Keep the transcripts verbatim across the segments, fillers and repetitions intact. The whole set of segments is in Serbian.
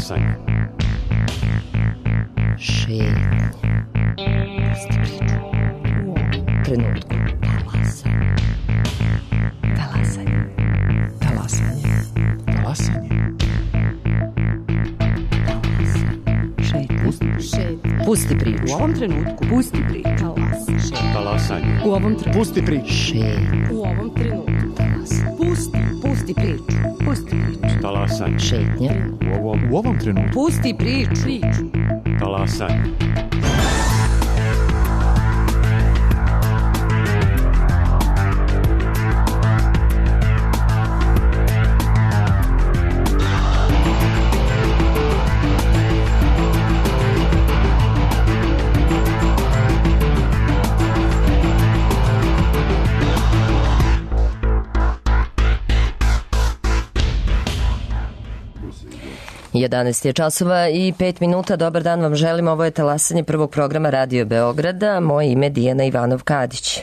Talasanje. Šetnje. Pusti priču. U ovom trenutku. Talasanje. Talasanje. Talasanje. Talasanje. Šetnje. Pusti priču. U ovom trenutku. Pusti priču. Talasanje. U ovom trenutku. Pusti priču. Šetnje. U ovom trenutku. Pusti. Pusti priču. Pusti priču. Talasanje. Šetnje. U ovom, u ovom trenutku. Pusti priču. Priču. Talasanje. jedanaest je časova i pet minuta. Dobar dan vam želim. Ovo je talasanje prvog programa Radio Beograda. Moje ime je Dijana Ivanov-Kadić.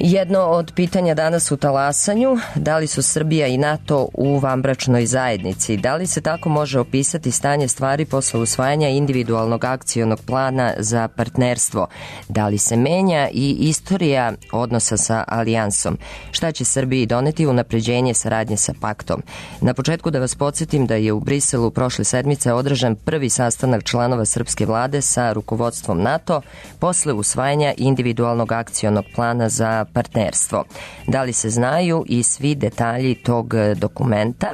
Jedno od pitanja danas u talasanju, da li su Srbija i NATO u vanbračnoj zajednici? Da li se tako može opisati stanje stvari posle usvajanja individualnog akcionog plana za partnerstvo? Da li se menja i istorija odnosa sa alijansom? Šta će Srbiji doneti unapređenje saradnje sa paktom? Na početku da vas podsjetim da je u Briselu prošle sedmice održan prvi sastanak članova srpske vlade sa rukovodstvom NATO posle usvajanja individualnog akcionog plana za partnerstvo. Da li se znaju i svi detalji tog dokumenta?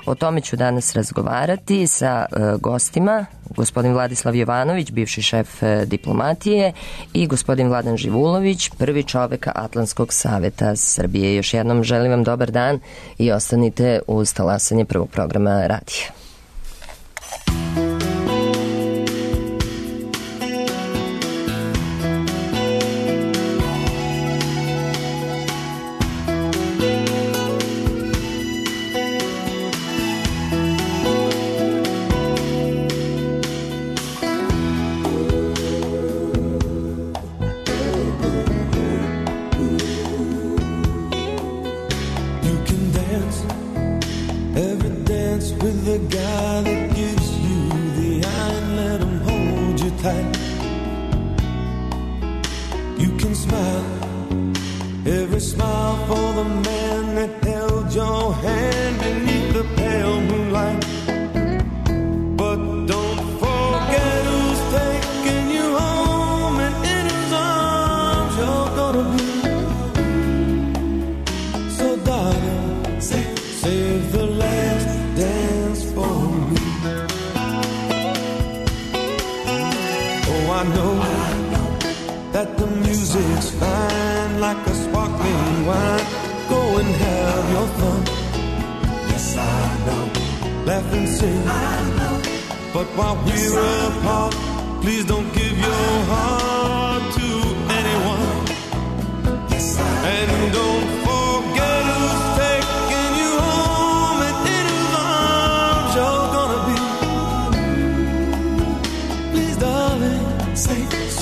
O tome ću danas razgovarati sa uh, gostima, gospodin Vladislav Jovanović, bivši šef uh, diplomatije, i gospodin Vladan Živulović, prvi čovek Atlantskog saveta Srbije. Još jednom želim vam dobar dan i ostanite uz talasanje prvog programa radija.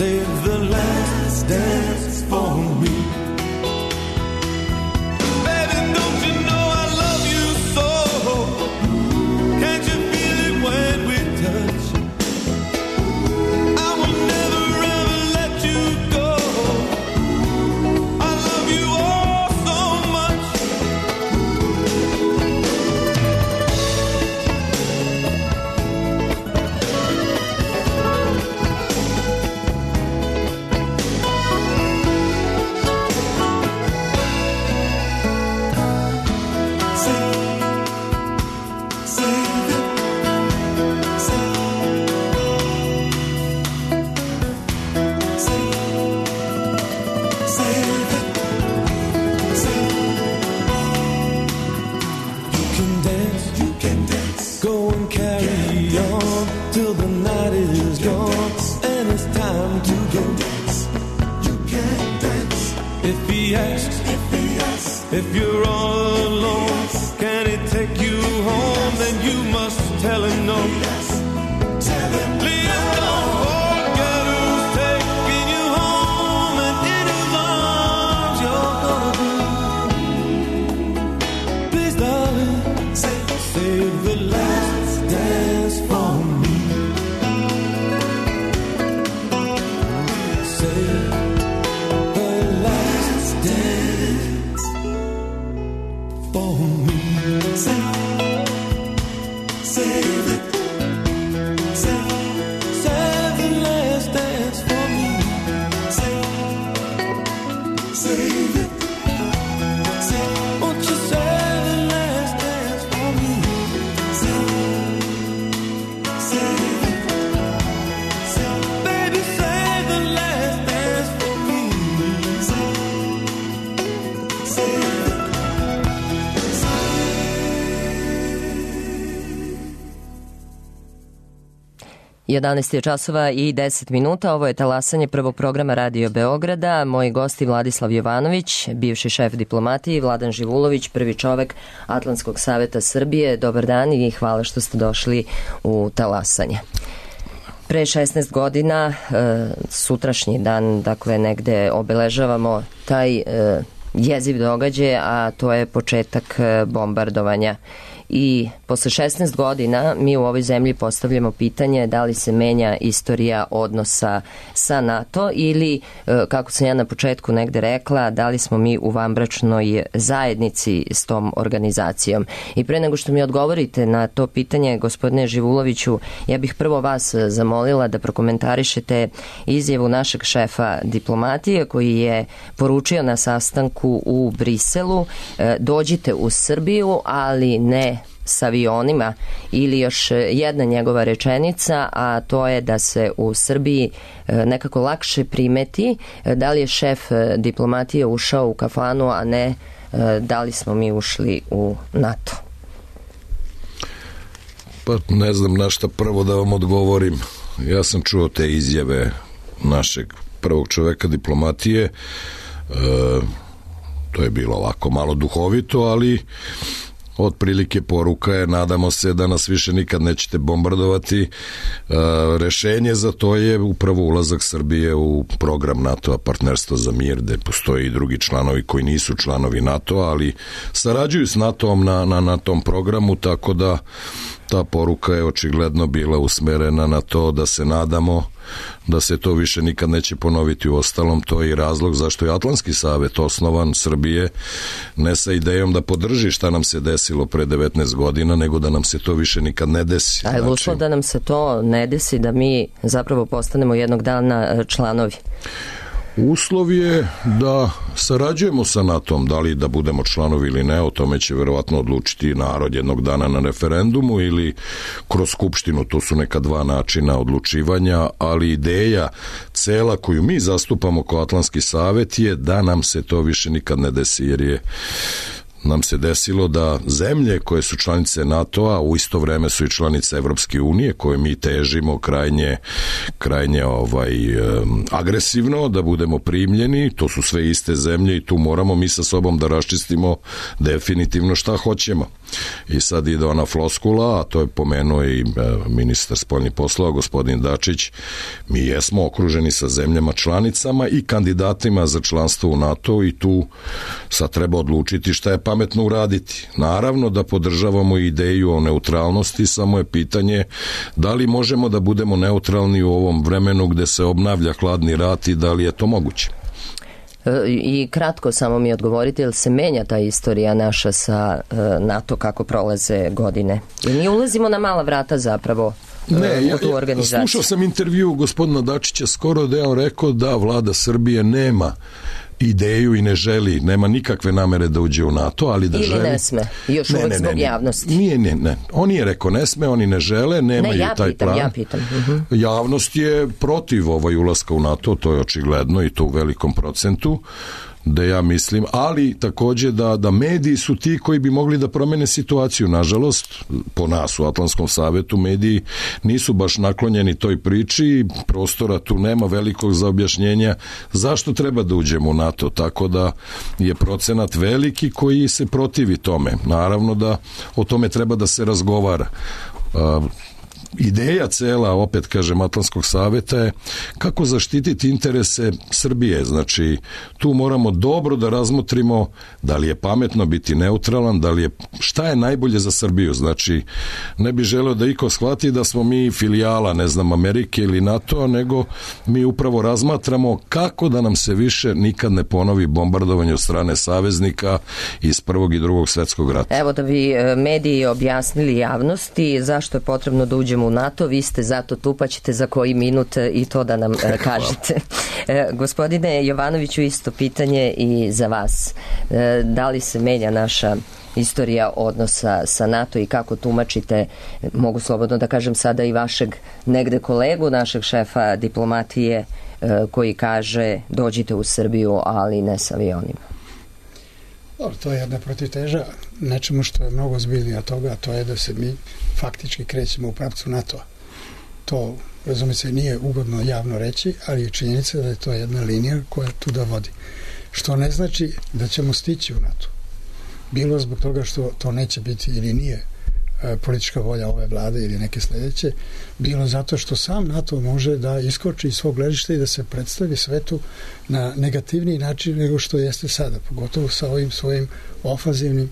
Save the last for me. Save, save it. Save, save the last dance for me. Save, save it. Save, won't you save the last dance for me? Save, save it. Save, baby, save the last dance for me. Save, save it. jedanaest je časova i deset minuta. Ovo je talasanje prvog programa Radio Beograda. Moji gosti Vladislav Jovanović, bivši šef diplomatije, i Vladan Živulović, prvi čovek Atlantskog saveta Srbije. Dobar dan i hvala što ste došli u talasanje. Pre šesnaest godina, sutrašnji dan, dakle, negde obeležavamo taj jeziv događaj, a to je početak bombardovanja. I posle šesnaest godina mi u ovoj zemlji postavljamo pitanje da li se menja istorija odnosa sa NATO ili, kako sam ja na početku negde rekla, da li smo mi u vanbračnoj zajednici s tom organizacijom. I pre nego što mi odgovorite na to pitanje, gospodine Živuloviću, ja bih prvo vas zamolila da prokomentarišete izjavu našeg šefa diplomatije koji je poručio na sastanku u Briselu: dođite u Srbiju, ali ne s avionima, ili još jedna njegova rečenica, a to je da se u Srbiji nekako lakše primeti da li je šef diplomatije ušao u kafanu, a ne da li smo mi ušli u NATO. Pa ne znam na šta prvo da vam odgovorim. Ja sam čuo te izjave našeg prvog čoveka diplomatije. E, to je bilo ovako malo duhovito, ali otprilike poruka je: nadamo se da nas više nikad nećete bombardovati. E, rešenje za to je upravo ulazak Srbije u program NATO-a, partnerstvo za mir, gde postoje i drugi članovi koji nisu članovi NATO-a, ali sarađuju s NATO-om na, na, na tom programu, tako da ta poruka je očigledno bila usmerena na to da se nadamo da se to više nikad neće ponoviti. U ostalom, to je i razlog zašto je Atlantski savet osnovan Srbije, ne sa idejom da podrži šta nam se desilo pre devetnaest godina, nego da nam se to više nikad ne desi. A je znači, uslov da nam se to ne desi, da mi zapravo postanemo jednog dana članovi? Uslov je da sarađujemo sa NATO-om, da li da budemo članovi ili ne, o tome će verovatno odlučiti narod jednog dana na referendumu ili kroz skupštinu. To su neka dva načina odlučivanja, ali ideja cela koju mi zastupamo kao Atlantski savet je da nam se to više nikad ne desi, jer je nam se desilo da zemlje koje su članice NATO-a u isto vreme su i članice Evropske unije, koje mi težimo krajnje, krajnje ovaj, agresivno da budemo primljeni. To su sve iste zemlje i tu moramo mi sa sobom da raščistimo definitivno šta hoćemo. I sad ide ona floskula, a to je pomenuo i ministar spoljnih poslova, gospodin Dačić. Mi jesmo okruženi sa zemljama članicama i kandidatima za članstvo u NATO i tu sad treba odlučiti šta je pametno uraditi. Naravno da podržavamo ideju o neutralnosti, samo je pitanje da li možemo da budemo neutralni u ovom vremenu gde se obnavlja hladni rat i da li je to moguće. I kratko samo mi odgovorite, jel se menja ta istorija naša sa NATO kako prolaze godine? Jer mi ulazimo na mala vrata zapravo ne, u tu organizaciju. Ja, slušao sam intervju gospodina Dačića skoro da je on rekao da vlada Srbije nema ideju i ne želi, nema nikakve namere da uđe u NATO, ali da ili želi... ne sme, još ne, uvek ne, zbog ne, javnosti. Nije, ne, ne. On nije rekao ne sme, oni ne žele, nemaju ne, ja taj pitam, plan. Ja pitam, uh-huh. Javnost je protiv ovaj ulaska u NATO, to je očigledno i to u velikom procentu, da ja mislim, ali takođe da, da mediji su ti koji bi mogli da promene situaciju. Nažalost, po nas u Atlantskom savetu mediji nisu baš naklonjeni toj priči, prostora tu nema velikog za objašnjenja zašto treba da uđemo u NATO, tako da je procenat veliki koji se protivi tome. Naravno da o tome treba da se razgovara. ideja cela, opet kažem, Atlantskog saveta je kako zaštititi interese Srbije. Znači, tu moramo dobro da razmotrimo da li je pametno biti neutralan, da li je, šta je najbolje za Srbiju. Znači, ne bi želeo da iko shvati da smo mi filijala, ne znam, Amerike ili NATO, nego mi upravo razmatramo kako da nam se više nikad ne ponovi bombardovanje od strane saveznika iz Prvog i Drugog svetskog rata. Evo da bi mediji objasnili javnosti zašto je potrebno da uđemo u NATO, vi ste zato tu, pa ćete za koji minut i to da nam kažete. Gospodine Jovanoviću, isto pitanje i za vas. Da li se menja naša istorija odnosa sa NATO i kako tumačite, mogu slobodno da kažem sada i vašeg negde kolegu, našeg šefa diplomatije, koji kaže dođite u Srbiju, ali ne sa avionima? Dobro, to je jedna protivteža nečemu što je mnogo ozbiljnije od toga, a to je da se mi faktički krećemo u pravcu NATO-a. To, razume se, nije ugodno javno reći, ali je činjenica da je to jedna linija koja tu da vodi. Što ne znači da ćemo stići u NATO. Bilo zbog toga što to neće biti ili nije e, politička volja ove vlade ili neke sledeće, bilo zato što sam NATO može da iskoči iz svog gledišta i da se predstavi svetu na negativniji način nego što jeste sada, pogotovo sa ovim svojim ofanzivnim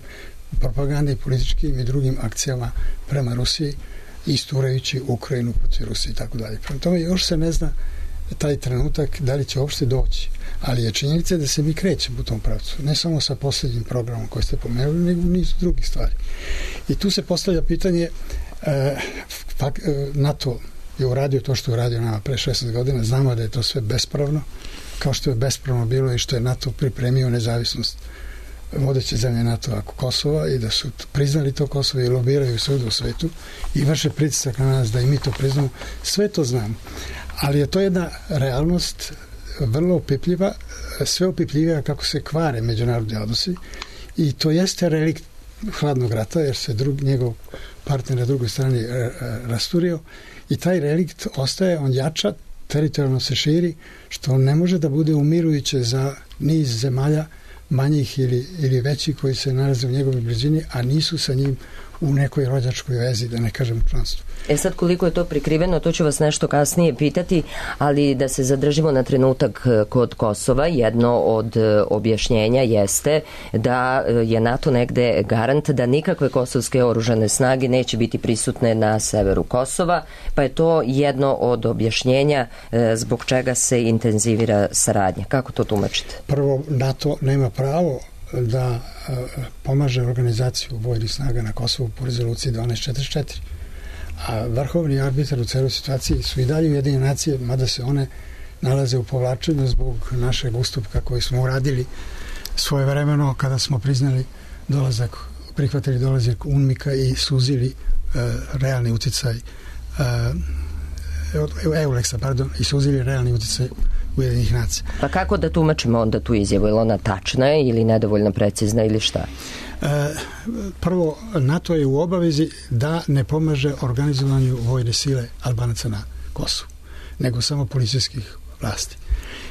propagandnim, političkim i drugim akcijama prema Rusiji, isturajući Ukrajinu protiv Rusije i tako dalje. Prema tome još se ne zna taj trenutak da li će uopšte doći, ali je činjenica da se mi krećemo u tom pravcu, ne samo sa posljednjim programom koji ste pomenuli, nego niz drugih stvari. I tu se postavlja pitanje, e, NATO je uradio to što je uradio nama pre šesnaest godina, znamo da je to sve bespravno, kao što je bespravno bilo i što je NATO pripremio nezavisnost vodeće zemlje NATO ako Kosova i da su priznali to Kosovo i lobiraju svud u svetu i vrše pritisak na nas da i mi to priznamo, sve to znamo. Ali je to jedna realnost vrlo opipljiva, sve opipljivija kako se kvare međunarodni odnosi i to jeste relikt hladnog rata jer se drug, njegov partner na drugoj strani rasturio i taj relikt ostaje, on jača, teritorijalno se širi, što ne može da bude umirujuće za niz zemalja manjih ili, ili većih koji se nalaze u njegovoj blizini, a nisu sa njim u nekoj rođačkoj vezi, da ne kažem članstvu. E sad, koliko je to prikriveno, to ću vas nešto kasnije pitati, ali da se zadržimo na trenutak kod Kosova, jedno od objašnjenja jeste da je NATO negde garant da nikakve kosovske oružane snage neće biti prisutne na severu Kosova, pa je to jedno od objašnjenja zbog čega se intenzivira saradnja. Kako to tumačite? Prvo, NATO nema pravo da pomaže organizaciju vojnih snaga na Kosovu po rezoluciji dvanaest četrdeset četiri. A vrhovni arbitar u celoj situaciji su i dalje Ujedinjene nacije, mada se one nalaze u povlačenju zbog našeg ustupka koji smo uradili svojevremeno kada smo priznali dolazak, prihvatili dolazak UNMIK-a i suzili uh, realni uticaj uh, EULEX-a, pardon, i suzili realni uticaj Ujedinjenih nacija. Pa kako da tumačimo onda tu izjavu? Je li ona tačna ili nedovoljno precizna ili šta? E, prvo, NATO je u obavezi da ne pomaže organizovanju vojne sile Albanaca na Kosovu, nego samo policijskih vlasti.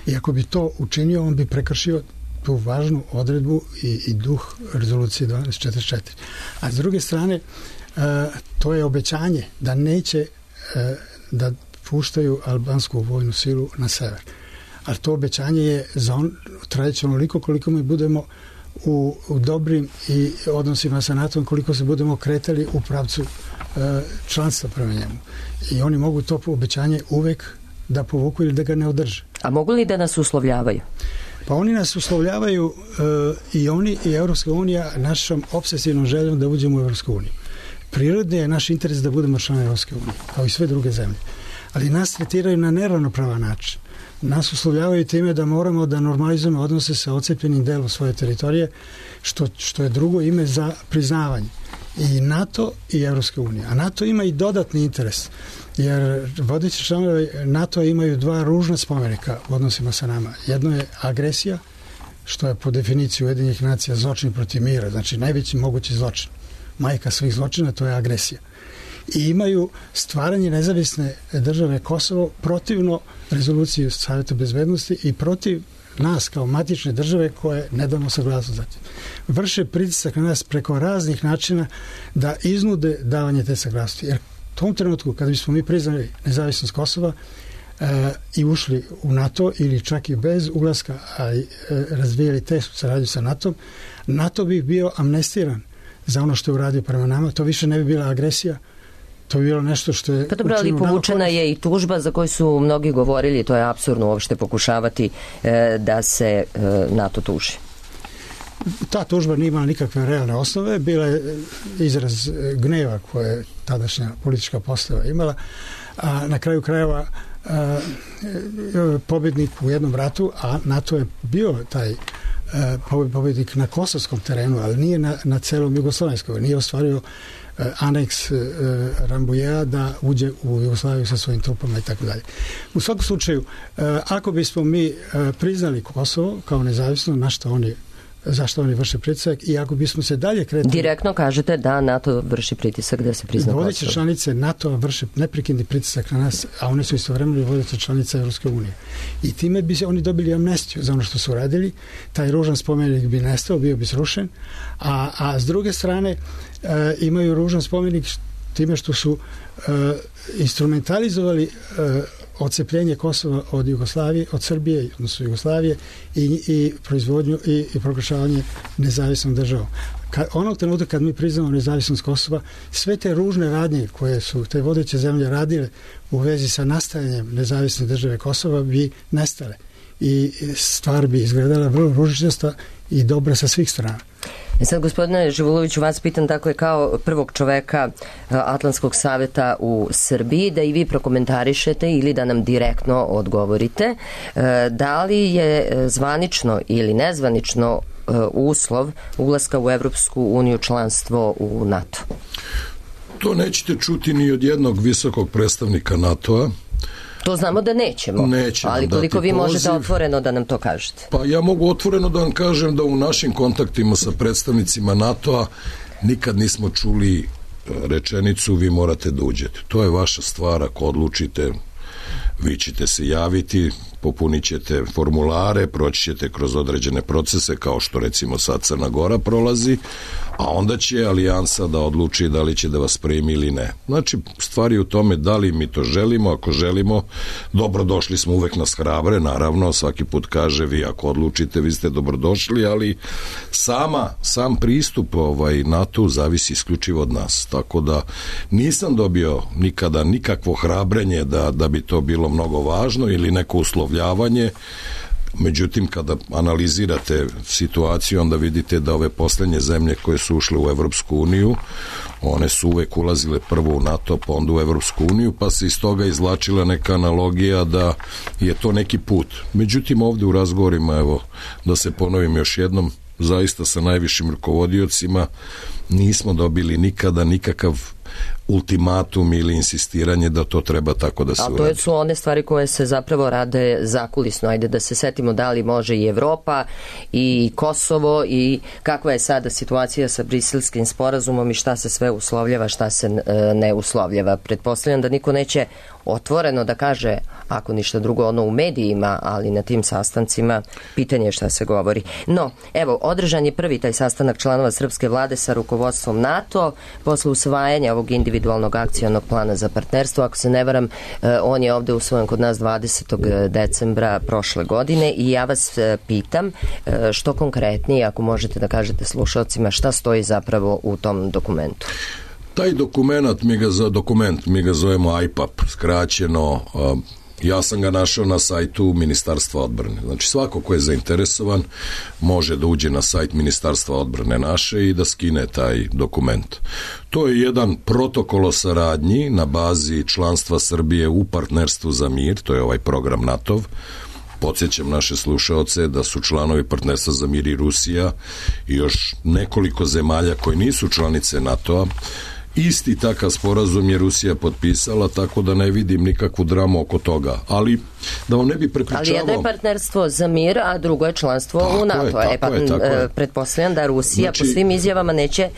I ako bi to učinio, on bi prekršio tu važnu odredbu i, i duh rezolucije dvanaest četrdeset četiri. A s druge strane, e, to je obećanje da neće e, da puštaju albansku vojnu silu na sever. A to obećanje je za on trajeće onoliko koliko mi budemo u, u dobrim i odnosima sa NATO-om, koliko se budemo kretali u pravcu e, članstva prema njemu. I oni mogu to obećanje uvek da povuku ili da ga ne održe. A mogu li da nas uslovljavaju? Pa oni nas uslovljavaju e, i oni i Evropska unija našom obsesivnom željom da uđemo u Evropsku uniju. Prirodni je naš interes da budemo članovi Evropske unije, kao i sve druge zemlje. Ali nas tretiraju na neravnopravan način. Nas uslovljavaju time da moramo da normalizujemo odnose sa ocepljenim delom svoje teritorije, što, što je drugo ime za priznavanje. I NATO i Evropska unija. A NATO ima i dodatni interes, jer vodeći članovi NATO imaju dva ružna spomenika u odnosima sa nama. Jedno je agresija, što je po definiciji Ujedinjenih nacija zločin protiv mira, znači najveći mogući zločin. Majka svih zločina, to je agresija. I imaju stvaranje nezavisne države Kosovo protivno rezoluciji Saveta bezbednosti i protiv nas kao matične države koje ne damo saglasnost za tim. Vrše pritisak na nas preko raznih načina da iznude davanje te saglasnosti. Jer tom trenutku kada bismo mi priznali nezavisnost Kosova e, i ušli u NATO ili čak i bez ulaska, a e, razvijali te saradnju sa NATO, NATO bi bio amnestiran za ono što je uradio prema nama. To više ne bi bila agresija. To je bilo nešto što je... Pa dobro, ali povučena je i tužba za koju su mnogi govorili, to je apsurdno uopšte pokušavati e, da se e, NATO tuži. Ta tužba nije imala nikakve realne osnove, bila je izraz gneva koje je tadašnja politička postava imala, a na kraju krajeva a, pobjednik u jednom ratu, a NATO je bio taj pobjednik na kosovskom terenu, ali nije na, na celom jugoslovenskom, nije ostvario aneks Rambujea da uđe u Jugoslaviju sa svojim trupama i tako dalje. U svakom slučaju, ako bismo mi priznali Kosovo kao nezavisno, na što oni zašto oni vrše pritisak i ako bismo se dalje kretali... Direktno kažete da NATO vrši pritisak da se prizna Kosovo. Vodeće članice NATO vrše neprekidni pritisak na nas, a one su istovremeno vodeće članice Evropske unije. I time bi se oni dobili amnestiju za ono što su radili, taj ružan spomenik bi nestao, bio bi srušen, a, a s druge strane e, imaju ružan spomenik time što su e, instrumentalizovali e, odcepljenje Kosova od Jugoslavije, od Srbije, odnosno Jugoslavije i, i proizvodnju i, i proglašavanje nezavisnom državom. Ka, onog trenutka kad mi priznamo nezavisnost Kosova, sve te ružne radnje koje su te vodeće zemlje radile u vezi sa nastajanjem nezavisne države Kosova bi nestale i stvar bi izgledala vrlo ružičasta i dobra sa svih strana. E sad, gospodine Živuloviću, vas pitam, dakle, kao prvog čoveka Atlantskog savjeta u Srbiji, da i vi prokomentarišete ili da nam direktno odgovorite, da li je zvanično ili nezvanično uslov ulaska u Evropsku uniju članstvo u NATO? To nećete čuti ni od jednog visokog predstavnika NATO-a. To znamo da nećemo, Nećemo ali koliko vi poziv. možete otvoreno da nam to kažete? Pa ja mogu otvoreno da vam kažem da u našim kontaktima sa predstavnicima NATO-a nikad nismo čuli rečenicu vi morate da uđete. To je vaša stvar, ako odlučite, vi ćete se javiti, popunit ćete formulare, proći ćete kroz određene procese, kao što recimo sad Crna Gora prolazi, a onda će alijansa da odluči da li će da vas primi ili ne. Znači, stvari u tome da li mi to želimo, ako želimo, dobrodošli smo, uvek nas hrabre, naravno, svaki put kaže vi ako odlučite, vi ste dobrodošli, ali sama, sam pristup ovaj, NATO zavisi isključivo od nas, tako da nisam dobio nikada nikakvo hrabrenje da, da bi to bilo mnogo važno ili neko uslovljavanje. Međutim, kada analizirate situaciju, onda vidite da ove poslednje zemlje koje su ušle u Evropsku uniju, one su uvek ulazile prvo u NATO, pa onda u Evropsku uniju, pa se iz toga izvlačila neka analogija da je to neki put. Međutim, ovde u razgovorima, evo, da se ponovim još jednom, zaista sa najvišim rukovodiocima nismo dobili nikada nikakav ultimatum ili insistiranje da to treba tako da se uradi. A to su one stvari koje se zapravo rade zakulisno. Ajde da se setimo da li može i Evropa i Kosovo i kakva je sada situacija sa Briselskim sporazumom i šta se sve uslovljava, šta se ne uslovljava. Pretpostavljam da niko neće otvoreno da kaže, ako ništa drugo, ono u medijima, ali na tim sastancima pitanje je šta se govori. No, evo, održan je prvi taj sastanak članova srpske vlade sa rukovodstvom NATO posle usvajanja ovog individualnog akcionog plana za partnerstvo. Ako se ne varam, on je ovde usvojen kod nas dvadesetog decembra prošle godine i ja vas pitam što konkretnije, ako možete da kažete slušalcima, šta stoji zapravo u tom dokumentu. Taj dokument, mi ga, za dokument, mi ga zovemo I P A P, skraćeno, ja sam ga našao na sajtu Ministarstva odbrane. Znači svako ko je zainteresovan može da uđe na sajt Ministarstva odbrane naše i da skine taj dokument. To je jedan protokol o saradnji na bazi članstva Srbije u partnerstvu za mir, to je ovaj program NATO-v. Podsjećam naše slušaoce da su članovi partnerstva za mir i Rusija i još nekoliko zemalja koji nisu članice NATO-a. Isti takav sporazum je Rusija potpisala, tako da ne vidim nikakvu dramu oko toga. Ali da vam ne bi prepričavao... Ali jedno je partnerstvo za mir, a drugo je članstvo tako u NATO. Je, e, pa, je, je. Pretpostavljam da Rusija znači, po svim izjavama neće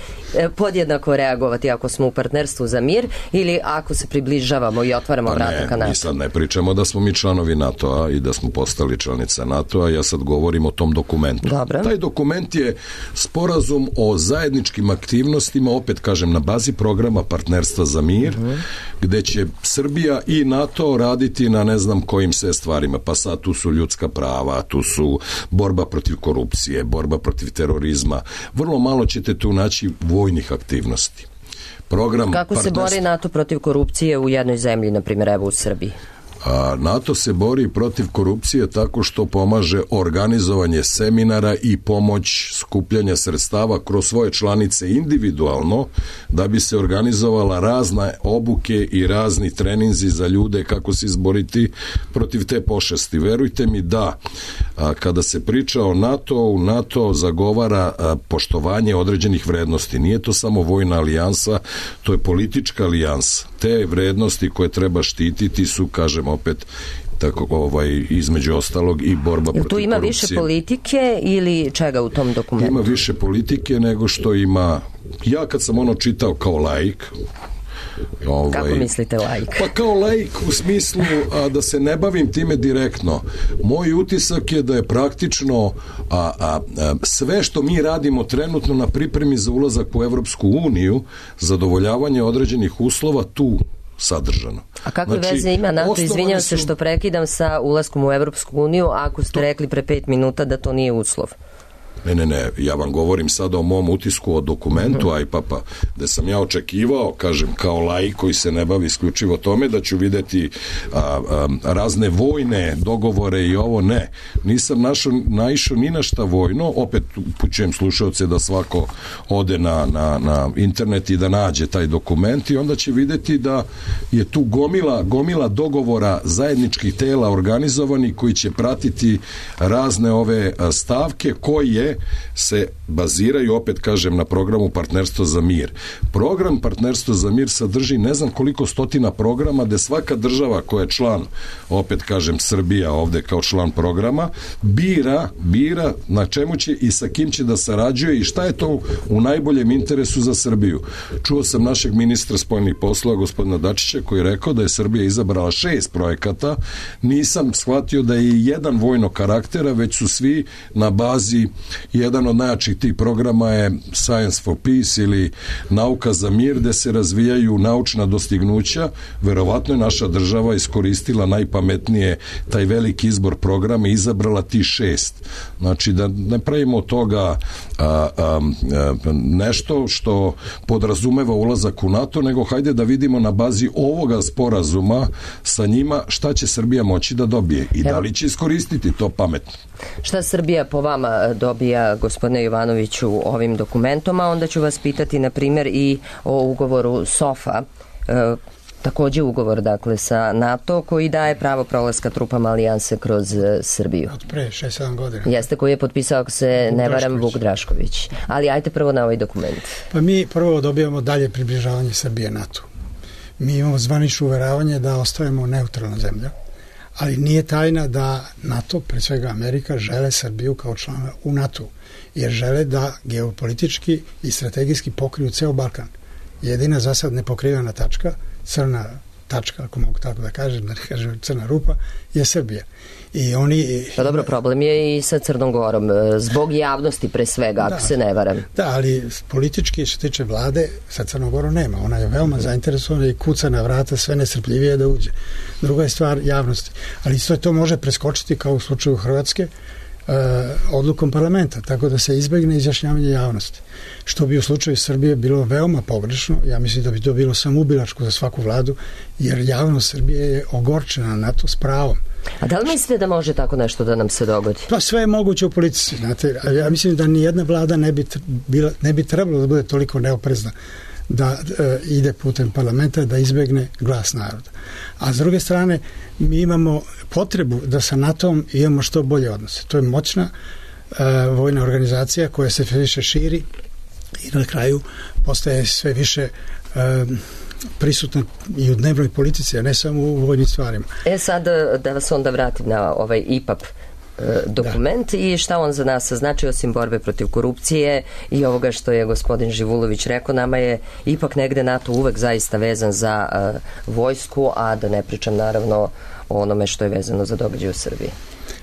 podjednako reagovati ako smo u partnerstvu za mir ili ako se približavamo i otvaramo pa vrata ka NATO. Mi sad ne pričamo da smo mi članovi NATO-a i da smo postali članica NATO-a, ja sad govorim o tom dokumentu. Dobre. Taj dokument je sporazum o zajedničkim aktivnostima, opet kažem, na bazi programa programa partnerstva za mir, uh-huh. gde će Srbija i NATO raditi na ne znam kojim sve stvarima. Pa sad tu su ljudska prava, tu su borba protiv korupcije, borba protiv terorizma. Vrlo malo ćete tu naći vojnih aktivnosti. Program Kako se partnerstva... bori NATO protiv korupcije u jednoj zemlji, na primjer evo u Srbiji? A NATO se bori protiv korupcije tako što pomaže organizovanje seminara i pomoć skupljanja sredstava kroz svoje članice individualno da bi se organizovala razne obuke i razni treninzi za ljude kako se izboriti protiv te pošasti. Verujte mi da a, kada se priča o NATO, NATO zagovara a, poštovanje određenih vrednosti. Nije to samo vojna alijansa, to je politička alijansa. Te vrednosti koje treba štititi su, kažem opet, tako ovaj između ostalog i borba protiv korupcije. Tu ima više politike ili čega u tom dokumentu? Ima više politike nego što ima. Ja kad sam ono čitao kao laik, ovaj, kako mislite laik? Pa kao laik u smislu a, da se ne bavim time direktno. Moj utisak je da je praktično a, a, a, sve što mi radimo trenutno na pripremi za ulazak u Evropsku uniju, zadovoljavanje određenih uslova tu sadržano. A kakve znači, veze ima NATO, izvinjam su... se što prekidam, sa ulaskom u Evropsku uniju, ako ste to... rekli pre pet minuta da to nije uslov? Ne, ne, ne, ja vam govorim sada o mom utisku o dokumentu uh-huh. ajpapa, da sam ja očekivao, kažem, kao laik koji se ne bavi isključivo tome, da ću videti a, a, razne vojne dogovore i ovo, ne. Nisam našao, naišao ni na šta vojno, opet upućujem slušalce da svako ode na, na, na internet i da nađe taj dokument i onda će videti da je tu gomila, gomila dogovora zajedničkih tela organizovani koji će pratiti razne ove stavke koje se baziraju, opet kažem, na programu Partnerstvo za mir. Program Partnerstvo za mir sadrži ne znam koliko stotina programa gde svaka država koja je član, opet kažem Srbija ovde kao član programa, bira, bira na čemu će i sa kim će da sarađuje i šta je to u najboljem interesu za Srbiju. Čuo sam našeg ministra spoljnih poslova, gospodina Dačića, koji je rekao da je Srbija izabrala šest projekata. Nisam shvatio da je jedan vojno karaktera, već su svi na bazi. Jedan od najjačih tih programa je Science for Peace ili Nauka za mir, gde se razvijaju naučna dostignuća. Verovatno je naša država iskoristila najpametnije taj veliki izbor programa i izabrala ti šest. Znači da ne pravimo od toga a, a, a, nešto što podrazumeva ulazak u NATO, nego hajde da vidimo na bazi ovoga sporazuma sa njima šta će Srbija moći da dobije i da li će iskoristiti to pametno. Šta Srbija po vama dobija, gospodine Jovanoviću, ovim dokumentom, a onda ću vas pitati, na primjer, i o ugovoru SOFA, e, takođe ugovor, dakle, sa NATO, koji daje pravo prolaska trupama alijanse kroz Srbiju. Od pre šest sedam godina. Jeste, koji je potpisao, ako se Vuk ne varam, Vuk Drašković. Ali ajte prvo na ovaj dokument. Pa mi prvo dobijamo dalje približavanje Srbije NATO. Mi imamo zvanično uveravanje da ostajemo neutralna zemlja, ali nije tajna da NATO, pre svega Amerika, žele Srbiju kao člana u NATO, jer žele da geopolitički i strategijski pokriju ceo Balkan. Jedina za sad nepokrivena tačka, crna tačka, ako mogu tako da kažem, da ne kažem crna rupa, je Srbija. I oni... Pa dobro, problem je i sa Crnom Gorom, zbog javnosti pre svega, ako da, se ne varam. Da, ali politički, što tiče vlade, sa Crnom Gorom nema. Ona je veoma zainteresovana i kuca na vrata sve nesrpljivije da uđe. Druga je stvar javnosti. Ali isto to može preskočiti, kao u slučaju Hrvatske, odlukom parlamenta, tako da se izbegne izjašnjavanje javnosti. Što bi u slučaju Srbije bilo veoma pogrešno, ja mislim da bi to bilo samoubilačko za svaku vladu, jer javnost Srbije je ogorčena na to s pravom. A da li mislite da može tako nešto da nam se dogodi? Pa sve je moguće u politici, znate, ja mislim da ni jedna vlada ne bi, bila, ne bi trebalo da bude toliko neoprezna da e, ide putem parlamenta, da izbegne glas naroda. A s druge strane, mi imamo potrebu da sa NATO-om imamo što bolje odnose. To je moćna e, vojna organizacija koja se sve više širi i na kraju postaje sve više e, prisutna i u dnevnoj politici, a ne samo u vojnim stvarima. E sad da vas onda vratim na ovaj I P A P dokument da. I šta on za nas znači osim borbe protiv korupcije i ovoga što je gospodin Živulović rekao, nama je ipak negde NATO uvek zaista vezan za uh, vojsku, a da ne pričam naravno o onome što je vezano za događaje u Srbiji.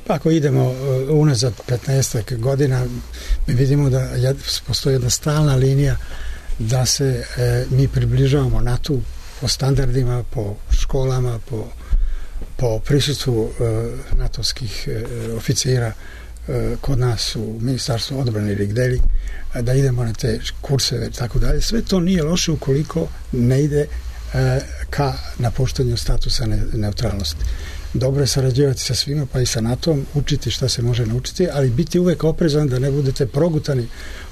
Pa ako idemo unazad petnaest godina, mi vidimo da postoji jedna stalna linija da se e, mi približavamo NATO po standardima, po školama, po, po prisustvu e, natovskih e, oficira e, kod nas u Ministarstvu odbrane ili gdje, da idemo na te kurseve i tako dalje. Sve to nije loše ukoliko ne ide e, ka napuštanju statusa ne, neutralnosti. Dobro je sarađivati sa svima, pa i sa NATO-om, učiti šta se može naučiti, ali biti uvek oprezan da ne budete progutani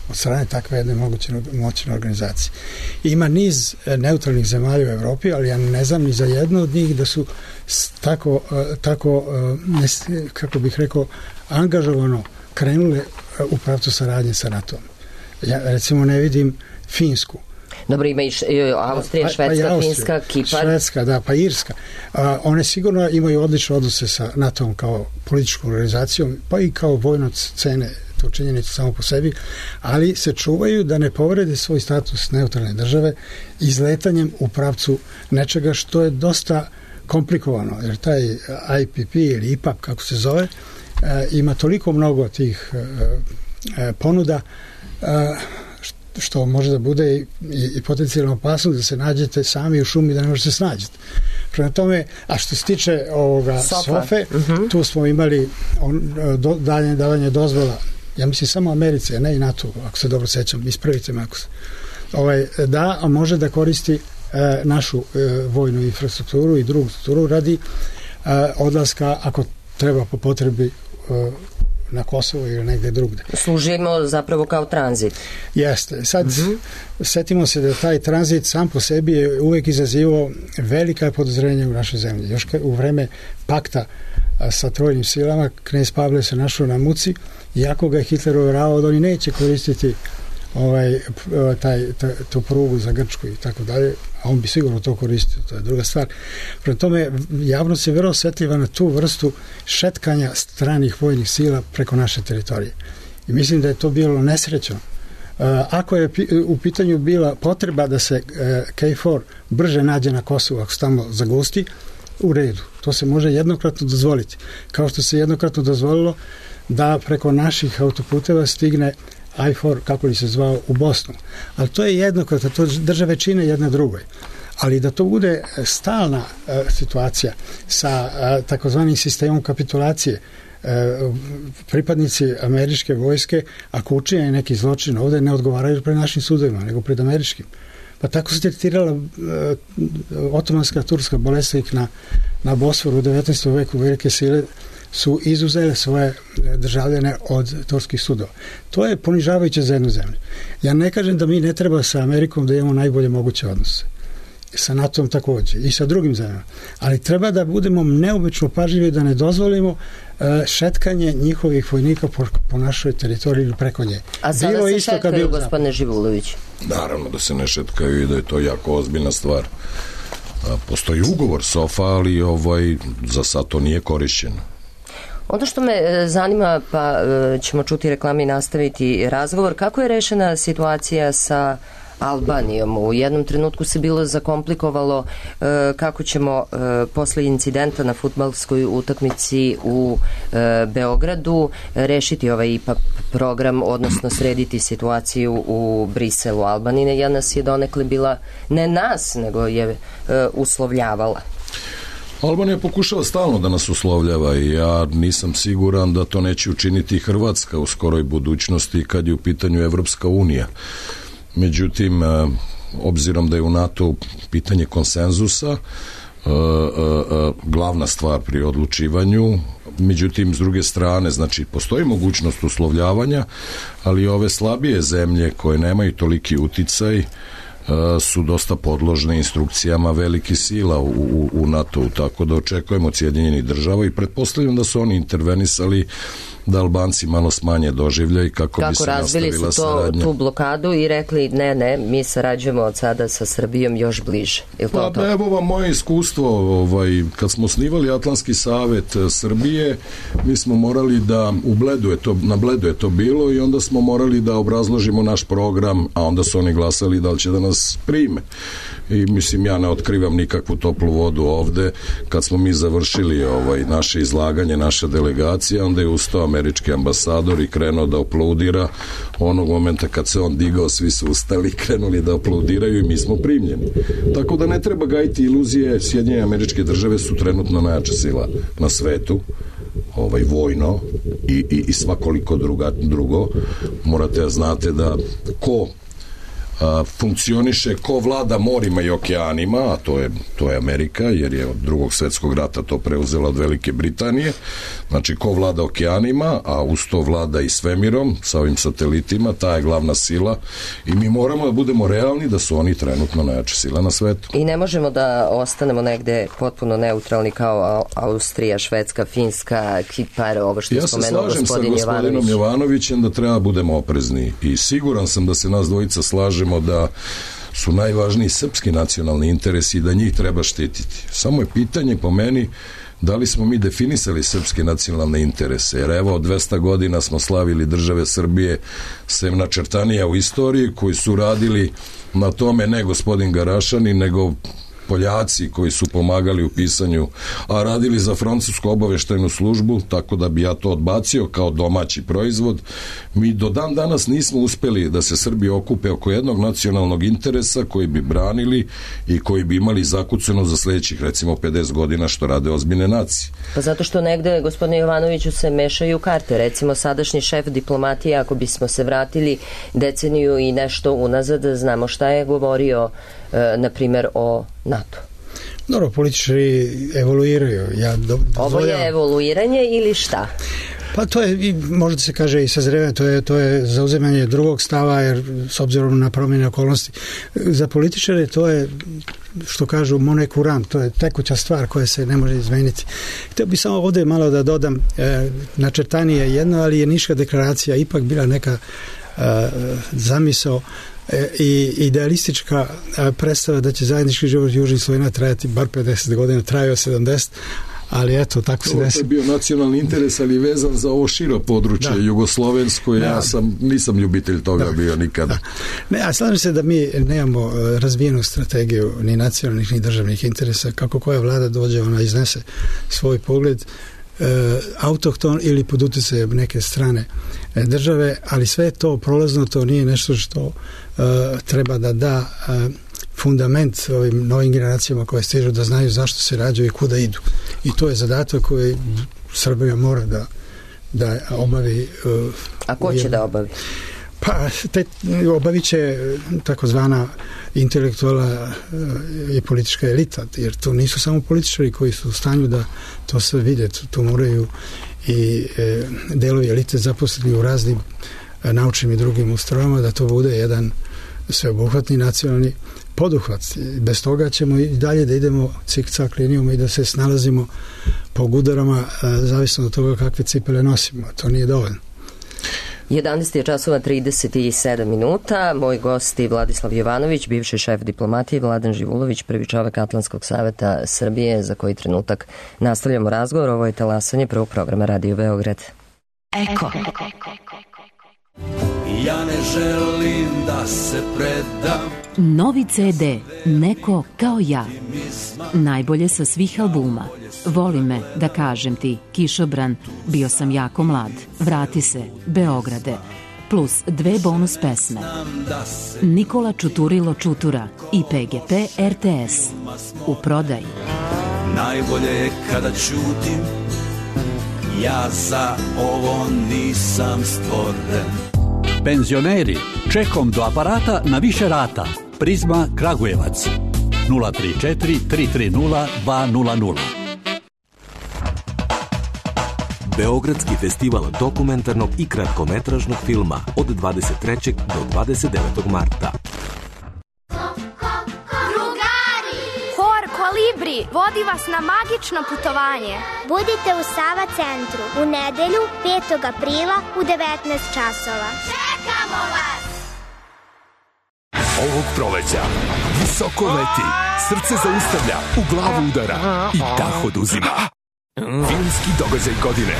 od strane takve jedne moguće moćne organizacije. Ima niz neutralnih zemalja u Evropi, ali ja ne znam ni za jedno od njih da su tako, tako kako bih rekao, angažovano krenule u pravcu saradnje sa NATO-om. Ja recimo ne vidim Finsku. Dobro, ima i š, Austrija, Švedska, pa, pa Finska, Kipar. Švedska, da, pa Irska. A, one sigurno imaju odlične odnose sa NATO-om kao političkom organizacijom, pa i kao vojno cene to činjenicu samo po sebi, ali se čuvaju da ne povrede svoj status neutralne države izletanjem u pravcu nečega što je dosta komplikovano, jer taj I P P ili I P A P, kako se zove, e, ima toliko mnogo tih e, e, ponuda e, što može da bude i, i potencijalno opasno da se nađete sami u šumi da ne možete se snađete. Prema tome, a što se tiče ovoga SOFE, uh-huh. tu smo imali on, do, dalje davanje dozvola, ja mislim samo Americe, ne i NATO, ako se dobro sećam, ispravite me ako se. Ovaj, da, a može da koristi e, našu e, vojnu infrastrukturu i drugu strukturu radi e, odlaska, ako treba po potrebi e, na Kosovo ili negde drugde. Služimo zapravo kao tranzit. Jeste. Sad, mm-hmm. setimo se da taj tranzit sam po sebi je uvek izazivao velika podozrenja u našoj zemlji. Još u vreme pakta sa trojnim silama, knez Pavle se našao na muci, iako ga je Hitler uveravao da oni neće koristiti ovaj, taj, taj, tu prugu za Grčku i tako dalje, a on bi sigurno to koristio, to je druga stvar. Prema tome, javnost je vrlo osjetljiva na tu vrstu šetkanja stranih vojnih sila preko naše teritorije. I mislim da je to bilo nesrećno. Ako je u pitanju bila potreba da se K četiri brže nađe na Kosovu, ako se tamo zagusti, u redu. To se može jednokratno dozvoliti. Kao što se jednokratno dozvolilo da preko naših autoputeva stigne I četiri, kako li se zvao, u Bosnu. Ali to je jednokratno, to države čine jedna drugoj. Ali da to bude stalna uh, situacija sa uh, takozvanim sistemom kapitulacije, uh, pripadnici američke vojske, ako učinjaju neki zločin ovde, ne odgovaraju pred našim sudovima, nego pred američkim. Pa tako se tretirala uh, otomanska turska bolesnik na, na Bosforu u devetnaestom veku. Velike sile su izuzele svoje državljane od turskih sudova. To je ponižavajuće za jednu zemlju. Ja ne kažem da mi ne treba sa Amerikom da imamo najbolje moguće odnose. Sa NATO-om takođe i sa drugim zemljama. Ali treba da budemo neobično pažljivi da ne dozvolimo uh, šetkanje njihovih vojnika po, po našoj teritoriji ili preko nje. A sada bilo se šetkaju, gospodine Živulović? Naravno da se ne šetkaju i da je to jako ozbiljna stvar. A, postoji ugovor SOFA, ali ovaj, za sad to nije korišćeno. Ono što me zanima, pa ćemo čuti reklame i nastaviti razgovor, kako je rešena situacija sa Albanijom? U jednom trenutku se bilo zakomplikovalo kako ćemo posle incidenta na fudbalskoj utakmici u Beogradu rešiti ovaj I P A P program, odnosno srediti situaciju u Briselu. Albanija nas je donekle bila, ne nas, nego je uslovljavala. Albanija pokušava stalno da nas uslovljava i ja nisam siguran da to neće učiniti Hrvatska u skoroj budućnosti kad je u pitanju Evropska unija. Međutim, obzirom da je u NATO pitanje konsenzusa glavna stvar pri odlučivanju, međutim, s druge strane, znači, postoji mogućnost uslovljavanja, ali ove slabije zemlje koje nemaju toliki uticaj su dosta podložne instrukcijama velikih sila u, u, u NATO-u, tako da očekujemo od Sjedinjenih država i pretpostavljam da su oni intervenisali da Albanci malo smanje doživljaj kako, kako bi se nastavila saradnja. Kako razbili su to, tu blokadu i rekli ne, ne, mi sarađujemo od sada sa Srbijom još bliže. Je to pa to? Evo vam moje iskustvo, ovaj, kad smo osnivali Atlantski savet Srbije, mi smo morali da, u Bledu je to, na Bledu je to bilo i onda smo morali da obrazložimo naš program, a onda su oni glasali da li će da nas prime. I mislim, ja ne otkrivam nikakvu toplu vodu ovde. Kad smo mi završili ovaj, naše izlaganje, naša delegacija, onda je ustao američki ambasador i krenuo da aplaudira. Onog momenta kad se on digao, svi su ustali, krenuli da aplaudiraju i mi smo primljeni. Tako da ne treba gajiti iluzije. Sjedinjene Američke Države su trenutno najjača sila na svetu, ovaj vojno i, i, i svakoliko druga, drugo. Morate da znate da ko a, funkcioniše, ko vlada morima i okeanima, a to je, to je Amerika, jer je od drugog svetskog rata to preuzela od Velike Britanije. Znači, ko vlada okeanima, a uz to vlada i svemirom, sa ovim satelitima, ta je glavna sila i mi moramo da budemo realni da su oni trenutno najjača sila na svetu. I ne možemo da ostanemo negde potpuno neutralni kao Austrija, Švedska, Finska, Kipar, ovo što je ja spomenuo gospodin Jovanović. Ja se slažem sa gospodinom Jovanovićem da treba budemo oprezni i siguran sam da se nas dvojica slažemo da su najvažniji srpski nacionalni interesi i da njih treba štititi. Samo je pitanje po meni da li smo mi definisali srpske nacionalne interese, jer evo dvesta godina smo slavili države Srbije, sem načrtanija u istoriji, koji su radili na tome ne gospodin Garašani, nego Poljaci koji su pomagali u pisanju, a radili za francusku obaveštajnu službu, tako da bi ja to odbacio kao domaći proizvod. Mi do dan danas nismo uspeli da se Srbi okupe oko jednog nacionalnog interesa koji bi branili i koji bi imali zakucano za sledećih recimo pedeset godina što rade ozbiljne nacije. Pa zato što negde, gospodine Jovanoviću, se mešaju karte. Recimo sadašnji šef diplomatije, ako bismo se vratili deceniju i nešto unazad, znamo šta je govorio na primjer o NATO. Dobro, političari evoluiraju. Ja do, Ovo je evoluiranje ili šta? Pa to je, možda se kaže i sazrevanje, to je, to je zauzemanje drugog stava, jer s obzirom na promjene okolnosti. Za političare to je, što kažu, monnaie courante, to je tekuća stvar koja se ne može izmeniti. Htio bi samo ovdje malo da dodam, e, načrtanje je jedno, ali je Niška deklaracija ipak bila neka e, zamisao i idealistička predstava da će zajednički život Južnih Slovena trajati bar pedeset godina, trajao sedamdeset, ali eto, tako se desi. To je bio nacionalni interes, ali vezan za ovo širo područje, da. Jugoslovensko, da. Ja sam, nisam ljubitelj toga da. bio nikada. Da. Ne, a slažem se da mi nemamo razvijenu strategiju ni nacionalnih, ni državnih interesa. Kako koja vlada dođe, ona iznese svoj pogled, e, autohton ili pod utjecajem neke strane države, ali sve to prolazno, to nije nešto što uh, treba da da uh, fundament ovim novim generacijama koje stižu da znaju zašto se rađaju i kuda idu. I to je zadatak koji Srbija mora da, da obavi. Uh, A ko će je, da obavi? Pa, te, obavit će takozvana intelektualna i politička elita, jer to nisu samo političari koji su u stanju da to sve vide, to moraju i e, delovi elite zaposleni u raznim e, naučnim i drugim ustrojama, da to bude jedan sveobuhvatni nacionalni poduhvat. Bez toga ćemo i dalje da idemo cik-cak linijom i da se snalazimo po gudarama, e, zavisno od toga kakve cipele nosimo. To nije dovoljno. jedanaest je časova trideset sedam minuta. Moj gost je Vladislav Jovanović, bivši šef diplomatije, Vladan Živulović, prvi čovek Atlantskog saveta Srbije, za koji trenutak nastavljamo razgovor. Ovo je talasanje prvog programa Radio Beograd. Eko. Ja ne želim da se predam. Novi ce de Neko kao ja. Najbolje sa svih albuma. Voli me, da kažem ti, Kišobran, Bio sam jako mlad, Vrati se, Beograde, plus dve bonus pesme. Nikola Čuturilo Čutura i pe ge pe er te es. U prodaji. Najbolje je kada ćutim, ja za ovo nisam stvoren. Penzioneri, čekom do aparata na više rata. Prizma Kragujevac nula tri četiri tri tri nula dva nula nula. Beogradski festival dokumentarnog i kratkometražnog filma od dvadeset trećeg do dvadeset devetog marta. Hor Kolibri vodi vas na magično putovanje. Budite u Sava centru u nedelju petog aprila u devetnaest časova. Čekamo vas! Ovog proleća visoko leti, srce zaustavlja, u glavu udara i dah oduzima. Filmski događaj godine.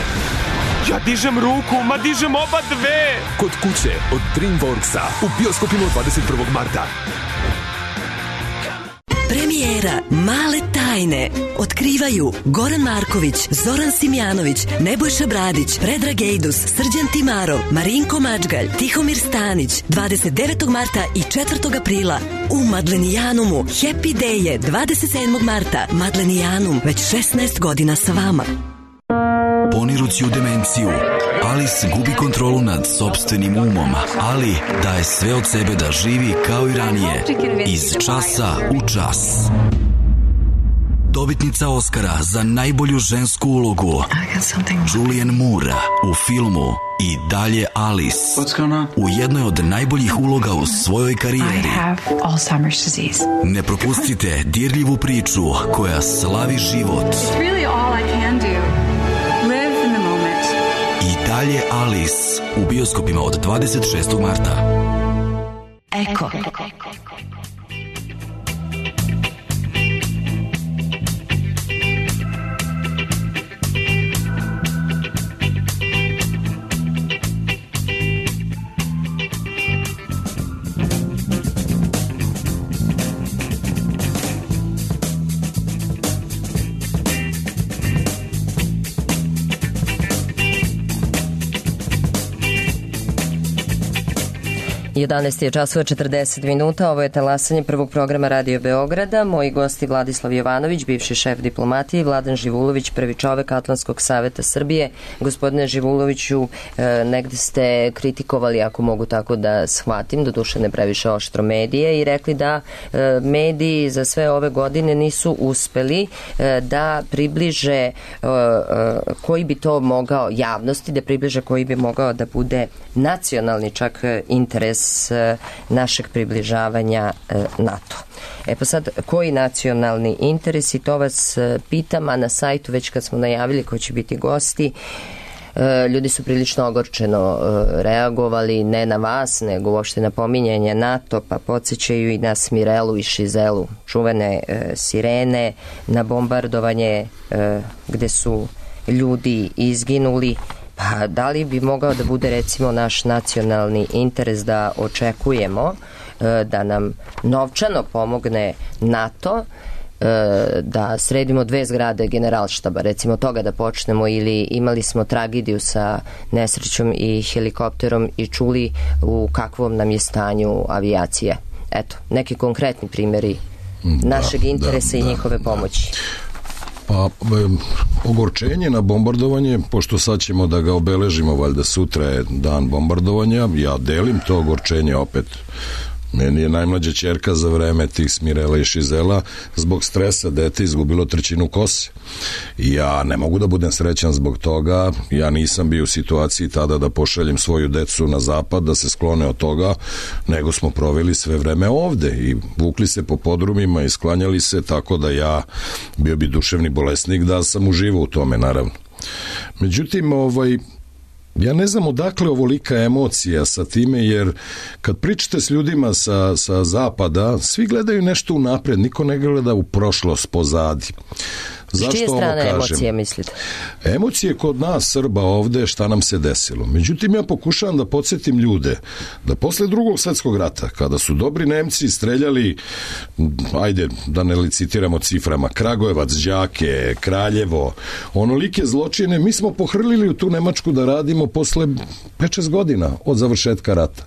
Ja dižem ruku, ma dižem oba dve! Kod kuće od DreamWorksa u bioskopima dvadeset prvog marta. Premijera Male tajne tajne otkrivaju Goran Marković, Zoran Simjanović, Nebojša Bradić, Predrag Ejdus, Srđan Timarov, Marinko Mačgalj, Tihomir Stanić, dvadeset devetog marta i četvrtog aprila u Madlenijanumu. Happy Day je dvadeset sedmog marta. Madlenijanum, već šesnaest godina sa vama. Ponirući u demenciju, Alice gubi kontrolu nad sopstvenim umom, ali daje sve od sebe da živi kao i ranije, iz časa u čas. Dobitnica Oscara za najbolju žensku ulogu Julianne Moore u filmu I dalje Alice, u jednoj od najboljih uloga u svojoj karijeri. Ne propustite dirljivu priču koja slavi život. I dalje Alice u bioskopima od dvadeset šestog marta. Eko. jedanaest je časova četrdeset minuta, ovo je talasanje prvog programa Radio Beograda. Moji gosti Vladislav Jovanović, bivši šef diplomatije, i Vladan Živulović, prvi čovek Atlantskog saveta Srbije. Gospodine Živuloviću, negde ste kritikovali, ako mogu tako da shvatim, doduše ne previše oštro, medije i rekli da mediji za sve ove godine nisu uspeli da približe koji bi to mogao javnosti, da približe koji bi mogao da bude nacionalni čak interes našeg približavanja NATO. E pa sad, koji nacionalni interes, i to vas pitam, a na sajtu već kad smo najavili ko će biti gosti, ljudi su prilično ogorčeno reagovali, ne na vas, nego uopšte na pominjanje NATO, pa podsjećaju i na Smirelu i Šizelu, čuvene sirene, na bombardovanje gde su ljudi izginuli. Pa da li bi mogao da bude recimo naš nacionalni interes da očekujemo da nam novčano pomogne NATO, da sredimo dve zgrade Generalštaba, recimo toga da počnemo, ili imali smo tragediju sa nesrećom i helikopterom i čuli u kakvom nam je stanju avijacije. Eto, neki konkretni primjeri našeg da, interesa da, i njihove pomoći. Pa, ogorčenje na bombardovanje, pošto sad ćemo da ga obeležimo, valjda sutra je dan bombardovanja, ja delim to ogorčenje opet. Meni je najmlađa ćerka za vreme tih Smirela i Šizela zbog stresa dete izgubilo trećinu kose. I ja ne mogu da budem srećan zbog toga, ja nisam bio u situaciji tada da pošaljem svoju decu na zapad, da se sklone od toga, nego smo proveli sve vreme ovde i vukli se po podrumima i sklanjali se, tako da ja bio bi duševni bolesnik da sam uživao u tome, naravno. Međutim, ovaj, ja ne znam odakle ovolika emocija sa time, jer kad pričate s ljudima sa, sa zapada, svi gledaju nešto unapred, niko ne gleda u prošlost, pozadi. Zašto čije strane emocije mislite? Emocije kod nas Srba ovde, šta nam se desilo. Međutim, ja pokušavam da podsjetim ljude da posle drugog svetskog rata, kada su dobri Nemci streljali, ajde da ne licitiramo ciframa, Kragujevac, Đake, Kraljevo, onolike zločine, mi smo pohrlili u tu Nemačku da radimo posle pet šest godina od završetka rata.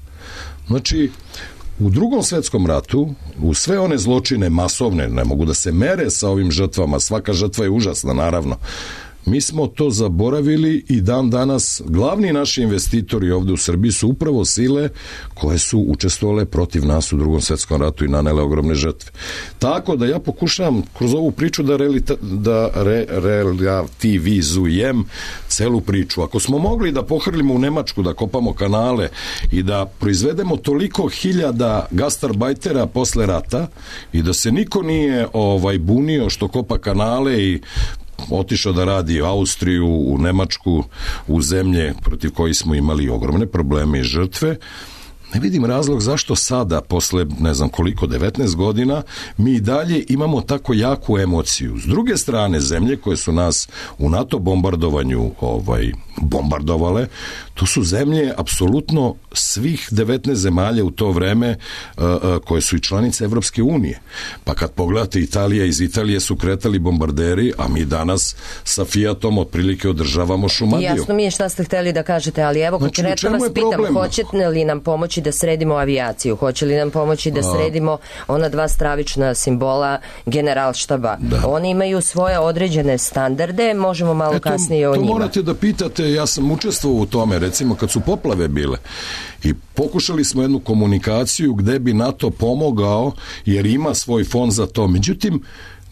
Znači, u drugom svetskom ratu, u sve one zločine masovne, ne mogu da se mere sa ovim žrtvama, svaka žrtva je užasna, naravno, mi smo to zaboravili i dan danas glavni naši investitori ovde u Srbiji su upravo sile koje su učestvovale protiv nas u drugom svetskom ratu i nanele ogromne žrtve. Tako da ja pokušavam kroz ovu priču da, relita, da re, relativizujem celu priču. Ako smo mogli da pohrlimo u Nemačku, da kopamo kanale i da proizvedemo toliko hiljada gastarbajtera posle rata i da se niko nije ovaj bunio što kopa kanale i otišao da radi u Austriju, u Nemačku, u zemlje protiv kojih smo imali ogromne probleme i žrtve, ne vidim razlog zašto sada, posle ne znam koliko, devetnaest godina, mi i dalje imamo tako jaku emociju. S druge strane, zemlje koje su nas u NATO bombardovanju ovaj, bombardovale, to su zemlje apsolutno svih devetnaest zemalja u to vreme uh, uh, koje su i članice Evropske unije. Pa kad pogledate, Italija, iz Italije su kretali bombarderi, a mi danas sa Fiatom otprilike održavamo Šumadiju. Jasno mi je šta ste hteli da kažete, ali evo znači, konkretno vas pitam, problem? Hoćete li nam pomoći da sredimo avijaciju? Hoće li nam pomoći da sredimo ona dva stravična simbola generalštaba? Da. Oni imaju svoje određene standarde, možemo malo e, to, kasnije o to njima. To morate da pitate, ja sam učestvovao u tome, recimo kad su poplave bile i pokušali smo jednu komunikaciju gde bi NATO pomogao, jer ima svoj fond za to, međutim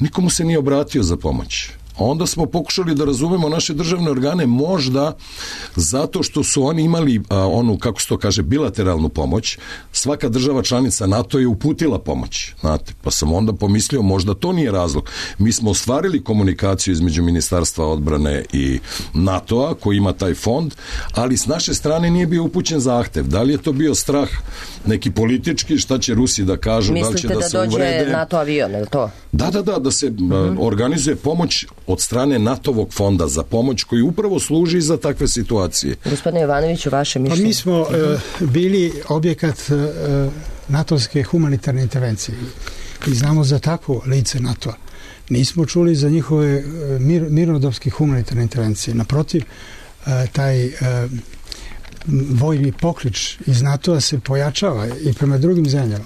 nikomu se nije obratio za pomoć. Onda smo pokušali da razumemo naše državne organe, možda zato što su oni imali a, onu, kako se to kaže, bilateralnu pomoć. Svaka država članica NATO je uputila pomoć, znate, pa sam onda pomislio možda to nije razlog. Mi smo ostvarili komunikaciju između Ministarstva odbrane i NATO-a koji ima taj fond, ali s naše strane nije bio upućen zahtev. Da li je to bio strah neki politički, šta će Rusi da kažu, mislite da li će da, da se uvrede? Mislite da dođe NATO avion, je li to? Da, da, da, da se uh-huh. organizuje pomoć od strane NATO-vog fonda za pomoć koji upravo služi za takve situacije. Gospodine Jovanoviću, vaše mišljenje? Pa mi smo uh, bili objekat uh, natovske humanitarne intervencije i znamo za takvo lice NATO-a. Nismo čuli za njihove uh, mir, mirnodopske humanitarne intervencije. Naprotiv, uh, taj uh, vojni poklič iz NATO-a se pojačava i prema drugim zemljama.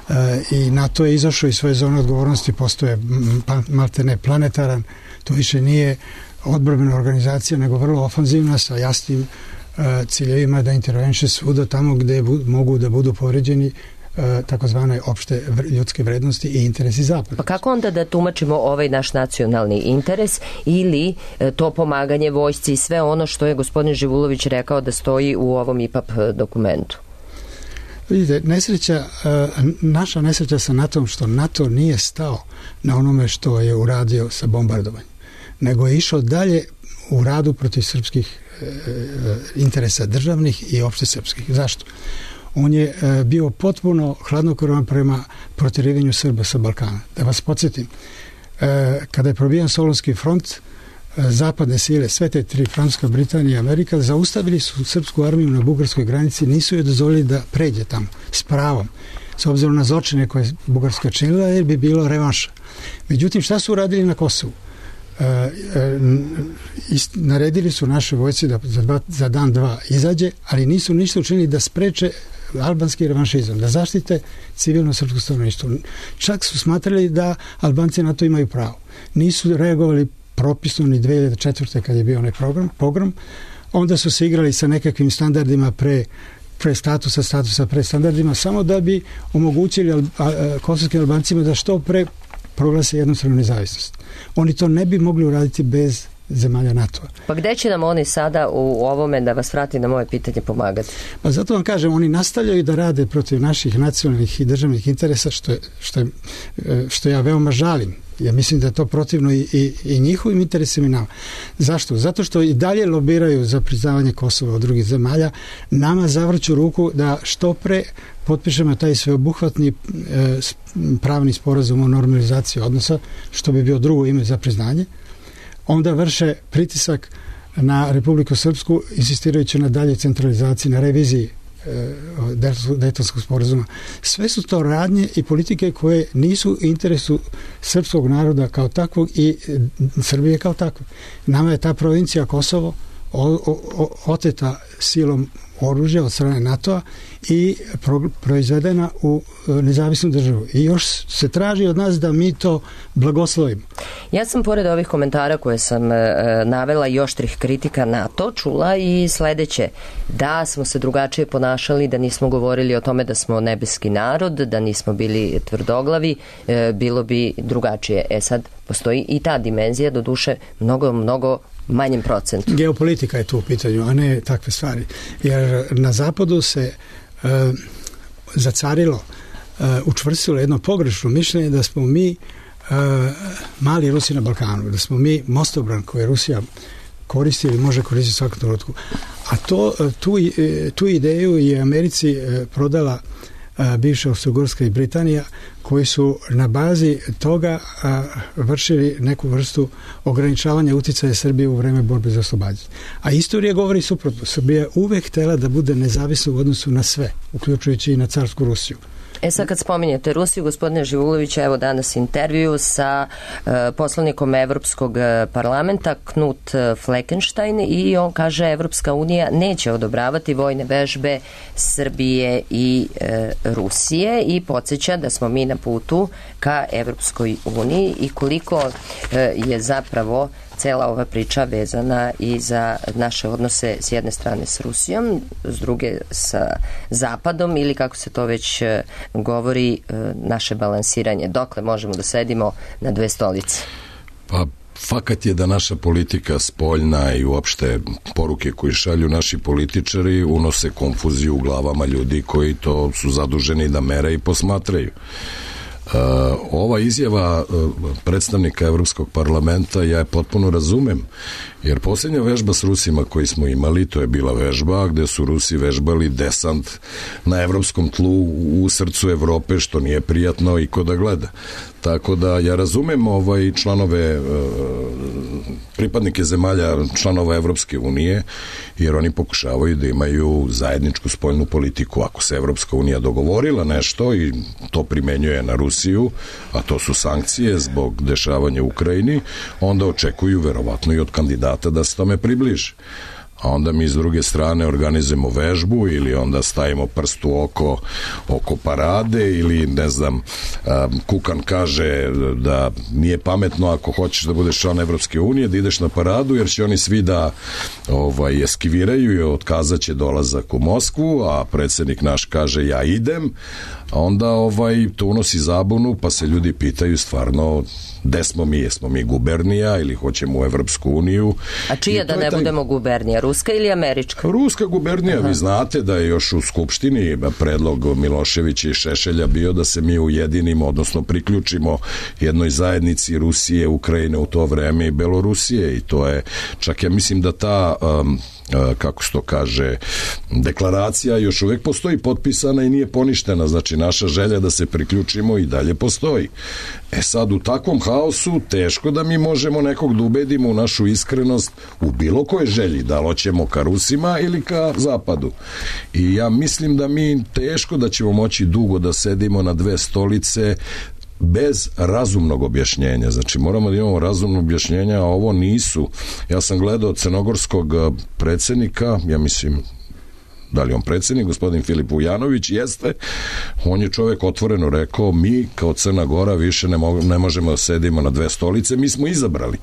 E, i NATO je izašao iz svoje zone odgovornosti, postoje maltene planetaran, to više nije odbrambena organizacija, nego vrlo ofanzivna sa jasnim e, ciljevima da intervenše svuda tamo gde bu, mogu da budu povređeni e, takozvane opšte ljudske vrednosti i interesi zapada. Pa kako onda da tumačimo ovaj naš nacionalni interes ili e, to pomaganje vojsci i sve ono što je gospodin Živulović rekao da stoji u ovom I P A P dokumentu? Vidite, nesreća, naša nesreća sa NATO-om što NATO nije stao na onome što je uradio sa bombardovanjem, nego je išao dalje u radu protiv srpskih interesa državnih i opšte srpskih. Zašto? On je bio potpuno hladnokrvan prema protjerivanju Srba sa Balkana. Da vas podsjetim, kada je probijan Solunski front, zapadne sile, sve te tri, Francuska, Britanija i Amerika, zaustavili su srpsku armiju na bugarskoj granici, nisu joj dozvolili da pređe tamo s pravom, s obzirom na zločine koje je Bugarska činila, jer bi bilo revanša. Međutim, šta su uradili na Kosovu? E, e, naredili su naše vojci da za, dva, za dan, dva izađe, ali nisu ništa učinili da spreče albanski revanšizam, da zaštite civilno srpsko stanovništvo. Čak su smatrali da Albanci na to imaju pravo. Nisu reagovali propisno ni dve hiljade četvrte kad je bio onaj program, pogrom, onda su se igrali sa nekakvim standardima pre, pre statusa, statusa pre standardima, samo da bi omogućili al, a, a, kosovskim Albancima da što pre proglase jednostranu nezavisnost. Oni to ne bi mogli uraditi bez zemalja NATO-a. Pa gde će nam oni sada u ovome, da vas vrati na moje pitanje, pomagati? Pa zato vam kažem, oni nastavljaju da rade protiv naših nacionalnih i državnih interesa, što, je, što, je, što ja veoma žalim. Ja mislim da je to protivno i, i, i njihovim interesima i nama. Zašto? Zato što i dalje lobiraju za priznavanje Kosova od drugih zemalja, nama zavrću ruku da što pre potpišemo taj sveobuhvatni e, pravni sporazum o normalizaciji odnosa, što bi bio drugo ime za priznanje. Onda vrše pritisak na Republiku Srpsku, insistirajući na dalje centralizaciji, na reviziji Dejtonskog sporazuma. Sve su to radnje i politike koje nisu u interesu srpskog naroda kao takvog i Srbije kao takve. Nama je ta provincija Kosovo o, o, oteta silom oružja od strane NATO-a i pro, proizvedena u nezavisnu državu. I još se traži od nas da mi to blagoslovimo. Ja sam pored ovih komentara koje sam e, navela i oštrih kritika NATO čula i sledeće, da smo se drugačije ponašali, da nismo govorili o tome da smo nebeski narod, da nismo bili tvrdoglavi, e, bilo bi drugačije. E sad, postoji i ta dimenzija, doduše mnogo, mnogo manjem procentu. Geopolitika je tu u pitanju, a ne takve stvari. Jer na zapadu se e, zacarilo, e, učvrstilo jedno pogrešno mišljenje da smo mi e, mali Rusi na Balkanu, da smo mi mostobran koji je Rusija koristi ili može koristiti u svakom trenutku. A to, tu, tu ideju je Americi prodala bivša Austro-Ugarska i Britanija, koji su na bazi toga a, vršili neku vrstu ograničavanja uticaja Srbije u vreme borbe za oslobađanje. A istorija govori suprotno. Srbija je uvek htela da bude nezavisna u odnosu na sve, uključujući i na carsku Rusiju. E sad kad spominjete Rusiju, gospodine Živulović, evo danas intervju sa uh, poslanikom Evropskog parlamenta Knut Fleckenstein i on kaže Evropska unija neće odobravati vojne vežbe Srbije i uh, Rusije i podsjeća da smo mi na putu ka Evropskoj uniji i koliko uh, je zapravo cela ova priča vezana i za naše odnose s jedne strane s Rusijom, s druge sa Zapadom ili kako se to već govori, naše balansiranje. Dokle možemo da sedimo na dve stolice? Pa fakat je da naša politika spoljna i uopšte poruke koje šalju naši političari unose konfuziju u glavama ljudi koji to su zaduženi da mere i posmatraju. Uh, ova izjava uh, predstavnika Evropskog parlamenta ja je potpuno razumem, jer posljednja vežba s Rusima koji smo imali, to je bila vežba gde su Rusi vežbali desant na evropskom tlu u srcu Evrope, što nije prijatno i ko da gleda. Tako da ja razumem ovaj članove, pripadnike zemalja članova Evropske unije, jer oni pokušavaju da imaju zajedničku spoljnu politiku. Ako se Evropska unija dogovorila nešto i to primenjuje na Rusiju, a to su sankcije zbog dešavanja u Ukrajini, onda očekuju verovatno i od kandidata da se tome približe. A onda mi s druge strane organizujemo vežbu ili onda stavimo prst u oko oko parade ili ne znam, Kukan kaže da nije pametno ako hoćeš da budeš član Evropske unije da ideš na paradu jer će oni svi da ovaj, eskiviraju i otkazat će dolazak u Moskvu, a predsjednik naš kaže ja idem, a onda ovaj, to unosi zabunu pa se ljudi pitaju stvarno gde smo mi, jesmo mi gubernija ili hoćemo u Evropsku uniju. A čija da ne taj... budemo gubernija, ruska ili američka? Ruska gubernija. Aha. Vi znate da je još u Skupštini predlog Miloševića i Šešelja bio da se mi ujedinimo, odnosno priključimo jednoj zajednici Rusije, Ukrajine u to vreme i Belorusije i to je, čak ja mislim da ta um, kako se to kaže, deklaracija još uvek postoji potpisana i nije poništena, znači naša želja da se priključimo i dalje postoji. E sad u takvom haosu teško da mi možemo nekog da ubedimo u našu iskrenost u bilo kojoj želji, da li hoćemo ka Rusima ili ka Zapadu. I ja mislim da mi teško da ćemo moći dugo da sedimo na dve stolice bez razumnog objašnjenja. Znači moramo da imamo razumno objašnjenja, a ovo nisu. Ja sam gledao crnogorskog predsjednika, ja mislim da li on predsjednik, gospodin Filip Vujanović, jeste, on je čovjek otvoreno rekao, mi kao Crna Gora više ne, mo ne možemo da sedimo na dve stolice, mi smo izabrali.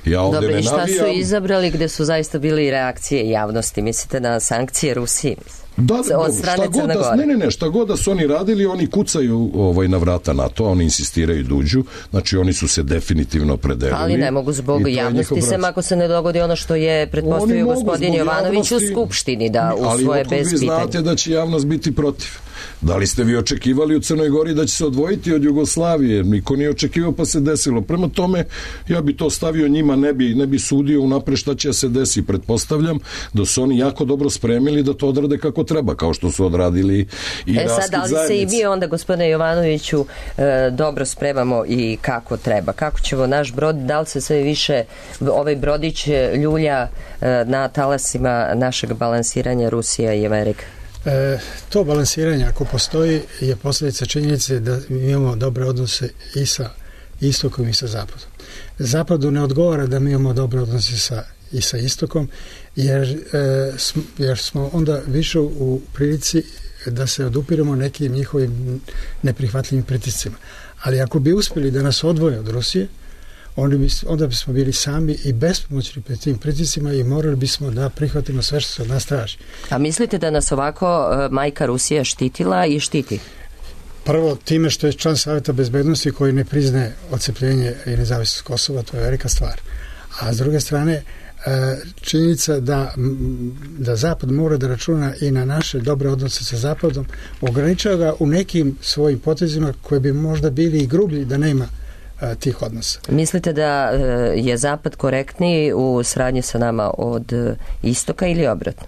Ja ovde Dobre, ne i šta navijam... su izabrali gde su zaista bili reakcije javnosti? Mislite na sankcije Rusiji? Da, da, šta god da, ne, ne, ne, šta god da su oni radili, oni kucaju ovaj, na vrata NATO, oni insistiraju da uđu, znači oni su se definitivno predelili. Ali ne mogu zbog javnosti, sem ako se ne dogodi ono što je pretpostavio gospodin Jovanović u Skupštini, da u svoje bez pitanja. Ali vi znate da će javnost biti protiv. Da li ste vi očekivali u Crnoj Gori da će se odvojiti od Jugoslavije? Niko nije očekivao pa se desilo. Prema tome, ja bi to stavio njima, ne bi, ne bi sudio unapred šta će se desi. Pretpostavljam da su oni jako dobro spremili da to odrade kako treba, kao što su odradili i e, sad, da li se i mi onda, gospodine Jovanoviću, e, dobro spremamo i kako treba? Kako ćemo naš brod, da li se sve više ovaj brodić ljulja e, na talasima našeg balansiranja Rusija i Amerika? E, to balansiranje, ako postoji, je posljedica činjenice da mi imamo dobre odnose i sa istokom i sa zapadom. Zapadu ne odgovara da mi imamo dobre odnose sa, i sa istokom, jer, e, sm, jer smo onda više u prilici da se odupiramo nekim njihovim neprihvatljivim pritiscima. Ali ako bi uspjeli da nas odvoje od Rusije, onda bismo bili sami i bespomoćni pred tim pritiscima i morali bismo da prihvatimo sve što se od nas traži. A mislite da nas ovako majka Rusija štitila i štiti? Prvo, time što je član Saveta bezbednosti koji ne priznaje odcepljenje i nezavisnost Kosova, to je velika stvar. A s druge strane, činjenica da, da Zapad mora da računa i na naše dobre odnose sa Zapadom, ograničava ga u nekim svojim potezima koji bi možda bili i grublji da nema tih odnosa. Mislite da je Zapad korektniji u saradnji sa nama od istoka ili obratno?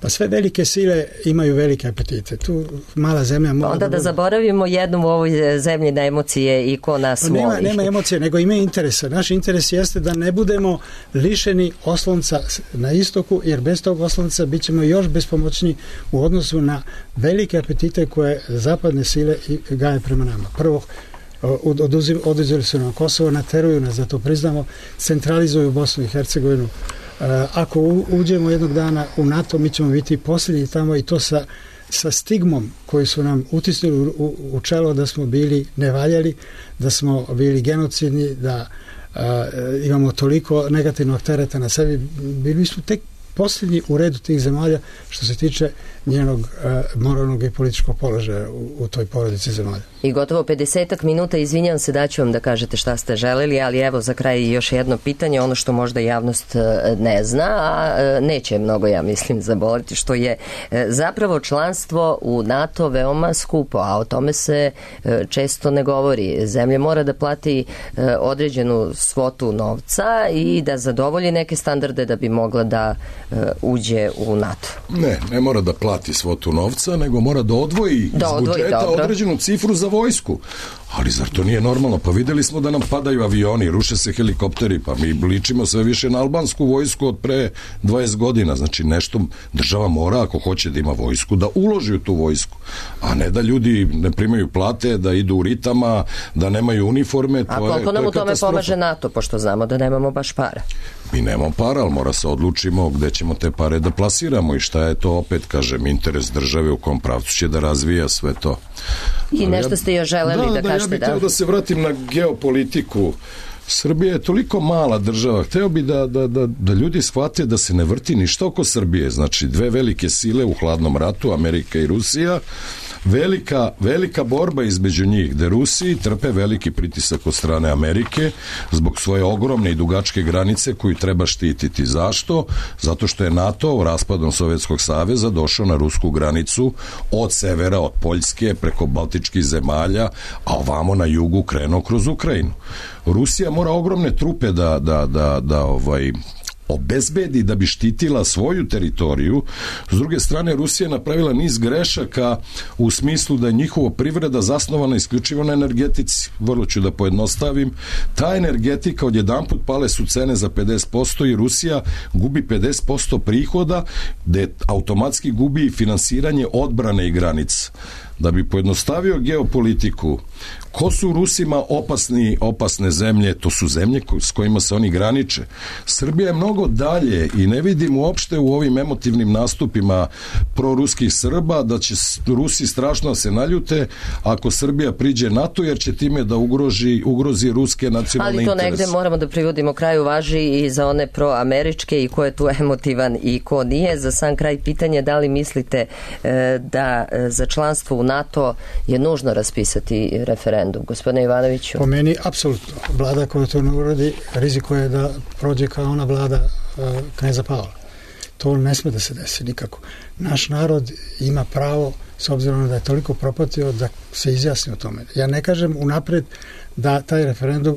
Pa sve velike sile imaju velike apetite. Tu mala zemlja mora... Onda da, da bude... zaboravimo jednom u ovoj zemlji na emocije i ko nas pa nema, voli. Nema emocije, nego ima interesa. Naš interes jeste da ne budemo lišeni oslonca na istoku, jer bez tog oslonca bit ćemo još bespomoćni u odnosu na velike apetite koje zapadne sile gaje prema nama. Prvo, oduzeli su nam Kosovo, nateruju nas da to priznamo, centralizuju Bosnu i Hercegovinu. Ako uđemo jednog dana u NATO, mi ćemo biti posljednji tamo i to sa, sa stigmom koji su nam utisnuli u, u čelo da smo bili nevaljali, da smo bili genocidni, da a, imamo toliko negativnog tereta na sebi. Bili smo tek posljednji u redu tih zemalja što se tiče njenog uh, moralnog i političkog položaja u, u toj porodici zemalja. I gotovo pedesetak minuta, izvinjam se da ću vam da kažete šta ste želeli, ali evo za kraj još jedno pitanje, ono što možda javnost ne zna, a neće mnogo, ja mislim, zaboliti, što je zapravo članstvo u NATO veoma skupo, a o tome se često ne govori. Zemlja mora da plati određenu svotu novca i da zadovolji neke standarde da bi mogla da uđe u NATO. Ne, ne mora da plati svotu novca, nego mora da odvoji da iz odvoji, budžeta dobro. određenu cifru za vojsku. Ali zar to nije normalno? Pa videli smo da nam padaju avioni, ruše se helikopteri, pa mi ličimo sve više na albansku vojsku od pre dvadeset godina. Znači nešto država mora, ako hoće da ima vojsku, da uloži u tu vojsku. A ne da ljudi ne primaju plate, da idu u ritama, da nemaju uniforme. To a koliko je, nam to u tome pomaže NATO, pošto znamo da nemamo baš para? Mi nemamo para, ali mora se odlučimo gde ćemo te pare da plasiramo i šta je to, opet kažem, interes države, u kom pravcu će da razvija sve to. I ali nešto ja, ste još želeli da, da, da kažete. Ja bih hteo da se vratim na geopolitiku. Srbija je toliko mala država, hteo bi da, da, da, da ljudi shvate da se ne vrti ništa oko Srbije. Znači, dve velike sile u hladnom ratu, Amerika i Rusija, velika, velika borba između njih, gde Rusiji trpe veliki pritisak od strane Amerike zbog svoje ogromne i dugačke granice koju treba štititi. Zašto? Zato što je NATO raspadom Sovjetskog saveza došao na rusku granicu od severa, od Poljske, preko Baltičkih zemalja, a ovamo na jugu krenuo kroz Ukrajinu. Rusija mora ogromne trupe da, da, da, da ovaj obezbedi da bi štitila svoju teritoriju. S druge strane, Rusija je napravila niz grešaka u smislu da je njihova privreda zasnovana isključivo na energetici. Vrlo ću da pojednostavim. Ta energetika odjedanput pale su cene za pedeset posto i Rusija gubi pedeset posto prihoda, gde automatski gubi finansiranje odbrane i granica. Da bi pojednostavio geopolitiku, ko su Rusima opasni, opasne zemlje? To su zemlje s kojima se oni graniče. Srbija je mnogo dalje i ne vidim uopšte u ovim emotivnim nastupima proruskih Srba da će Rusi strašno se naljute ako Srbija priđe NATO, jer će time da ugroži, ugrozi ruske nacionalne interese. Ali to negde moramo da privodimo kraju, važi i za one proameričke i ko je tu emotivan i ko nije. Za sam kraj pitanje, da li mislite e, da e, za članstvo u NATO je nužno raspisati referendum? Gospodine Ivanoviću? Po meni, apsolutno. Vlada koja to ne uradi, riziko je da prođe kao ona vlada uh, kneza Pavla. To ne sme da se desi nikako. Naš narod ima pravo, s obzirom da je toliko propatio, da se izjasni o tome. Ja ne kažem unapred da taj referendum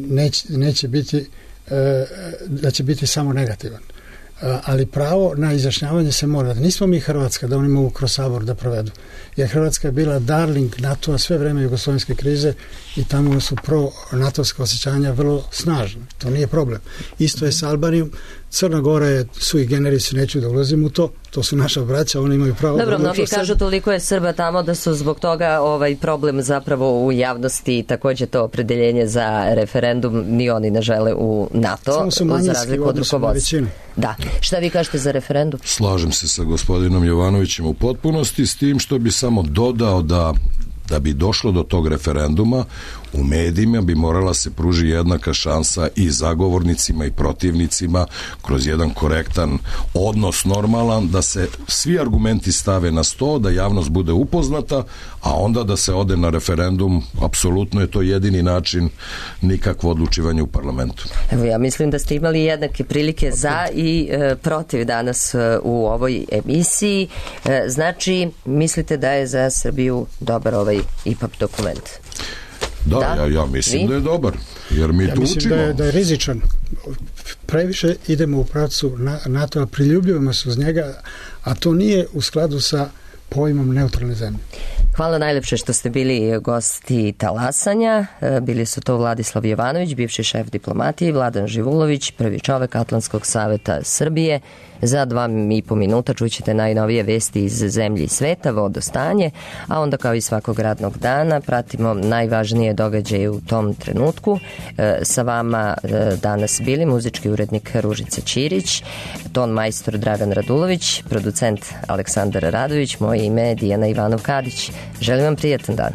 neće, neće biti uh, da će biti samo negativan. Ali pravo na izjašnjavanje se mora. Nismo mi Hrvatska da oni mogu kroz Sabor da provedu. Jer Hrvatska je bila darling NATO-a sve vreme jugoslovenske krize i tamo su pro-natovska osjećanja vrlo snažne. To nije problem. Isto je sa Albanijom. Crna Gora je sui generis, neću da ulazim u to. To su naša braća, oni imaju pravo. Dobro, mnogi kažu toliko je Srba tamo da su zbog toga ovaj problem zapravo u javnosti i takođe to opredeljenje za referendum ni oni ne žele u NATO. Samo su manjinski u odnosu na većinu. Da. Šta vi kažete za referendum? Slažem se sa gospodinom Jovanovićem u potpunosti, s tim što bi samo dodao da da bi došlo do tog referenduma, u medijima bi morala se pruži jednaka šansa i zagovornicima i protivnicima kroz jedan korektan odnos, normalan, da se svi argumenti stave na sto, da javnost bude upoznata, a onda da se ode na referendum. Apsolutno je to jedini način, nikakvo odlučivanje u parlamentu. Evo, ja mislim da ste imali jednake prilike za i e, protiv danas e, u ovoj emisiji. E, znači, mislite da je za Srbiju dobar ovaj I P A P dokument? Da, da? Ja, ja mislim Vi? da je dobar, jer mi ja tu mislim učimo. Da je, da je rizičan. Previše idemo u pravcu NATO-a, priljubljujemo se uz njega, a to nije u skladu sa pojmom neutralne zemlje. Hvala najlepše što ste bili gosti Talasanja. Bili su to Vladislav Jovanović, bivši šef diplomatije, i Vladan Živulović, prvi čovek Atlantskog saveta Srbije. Za dva i po minuta čućete najnovije vesti iz zemlje i sveta, vodostanje, a onda kao i svakog radnog dana pratimo najvažnije događaje u tom trenutku. E, sa vama e, danas bili muzički urednik Ružica Ćirić, ton majstor Dragan Radulović, producent Aleksandar Radović, moje ime je Dijana Ivanov-Kadić. Želim vam prijatan dan.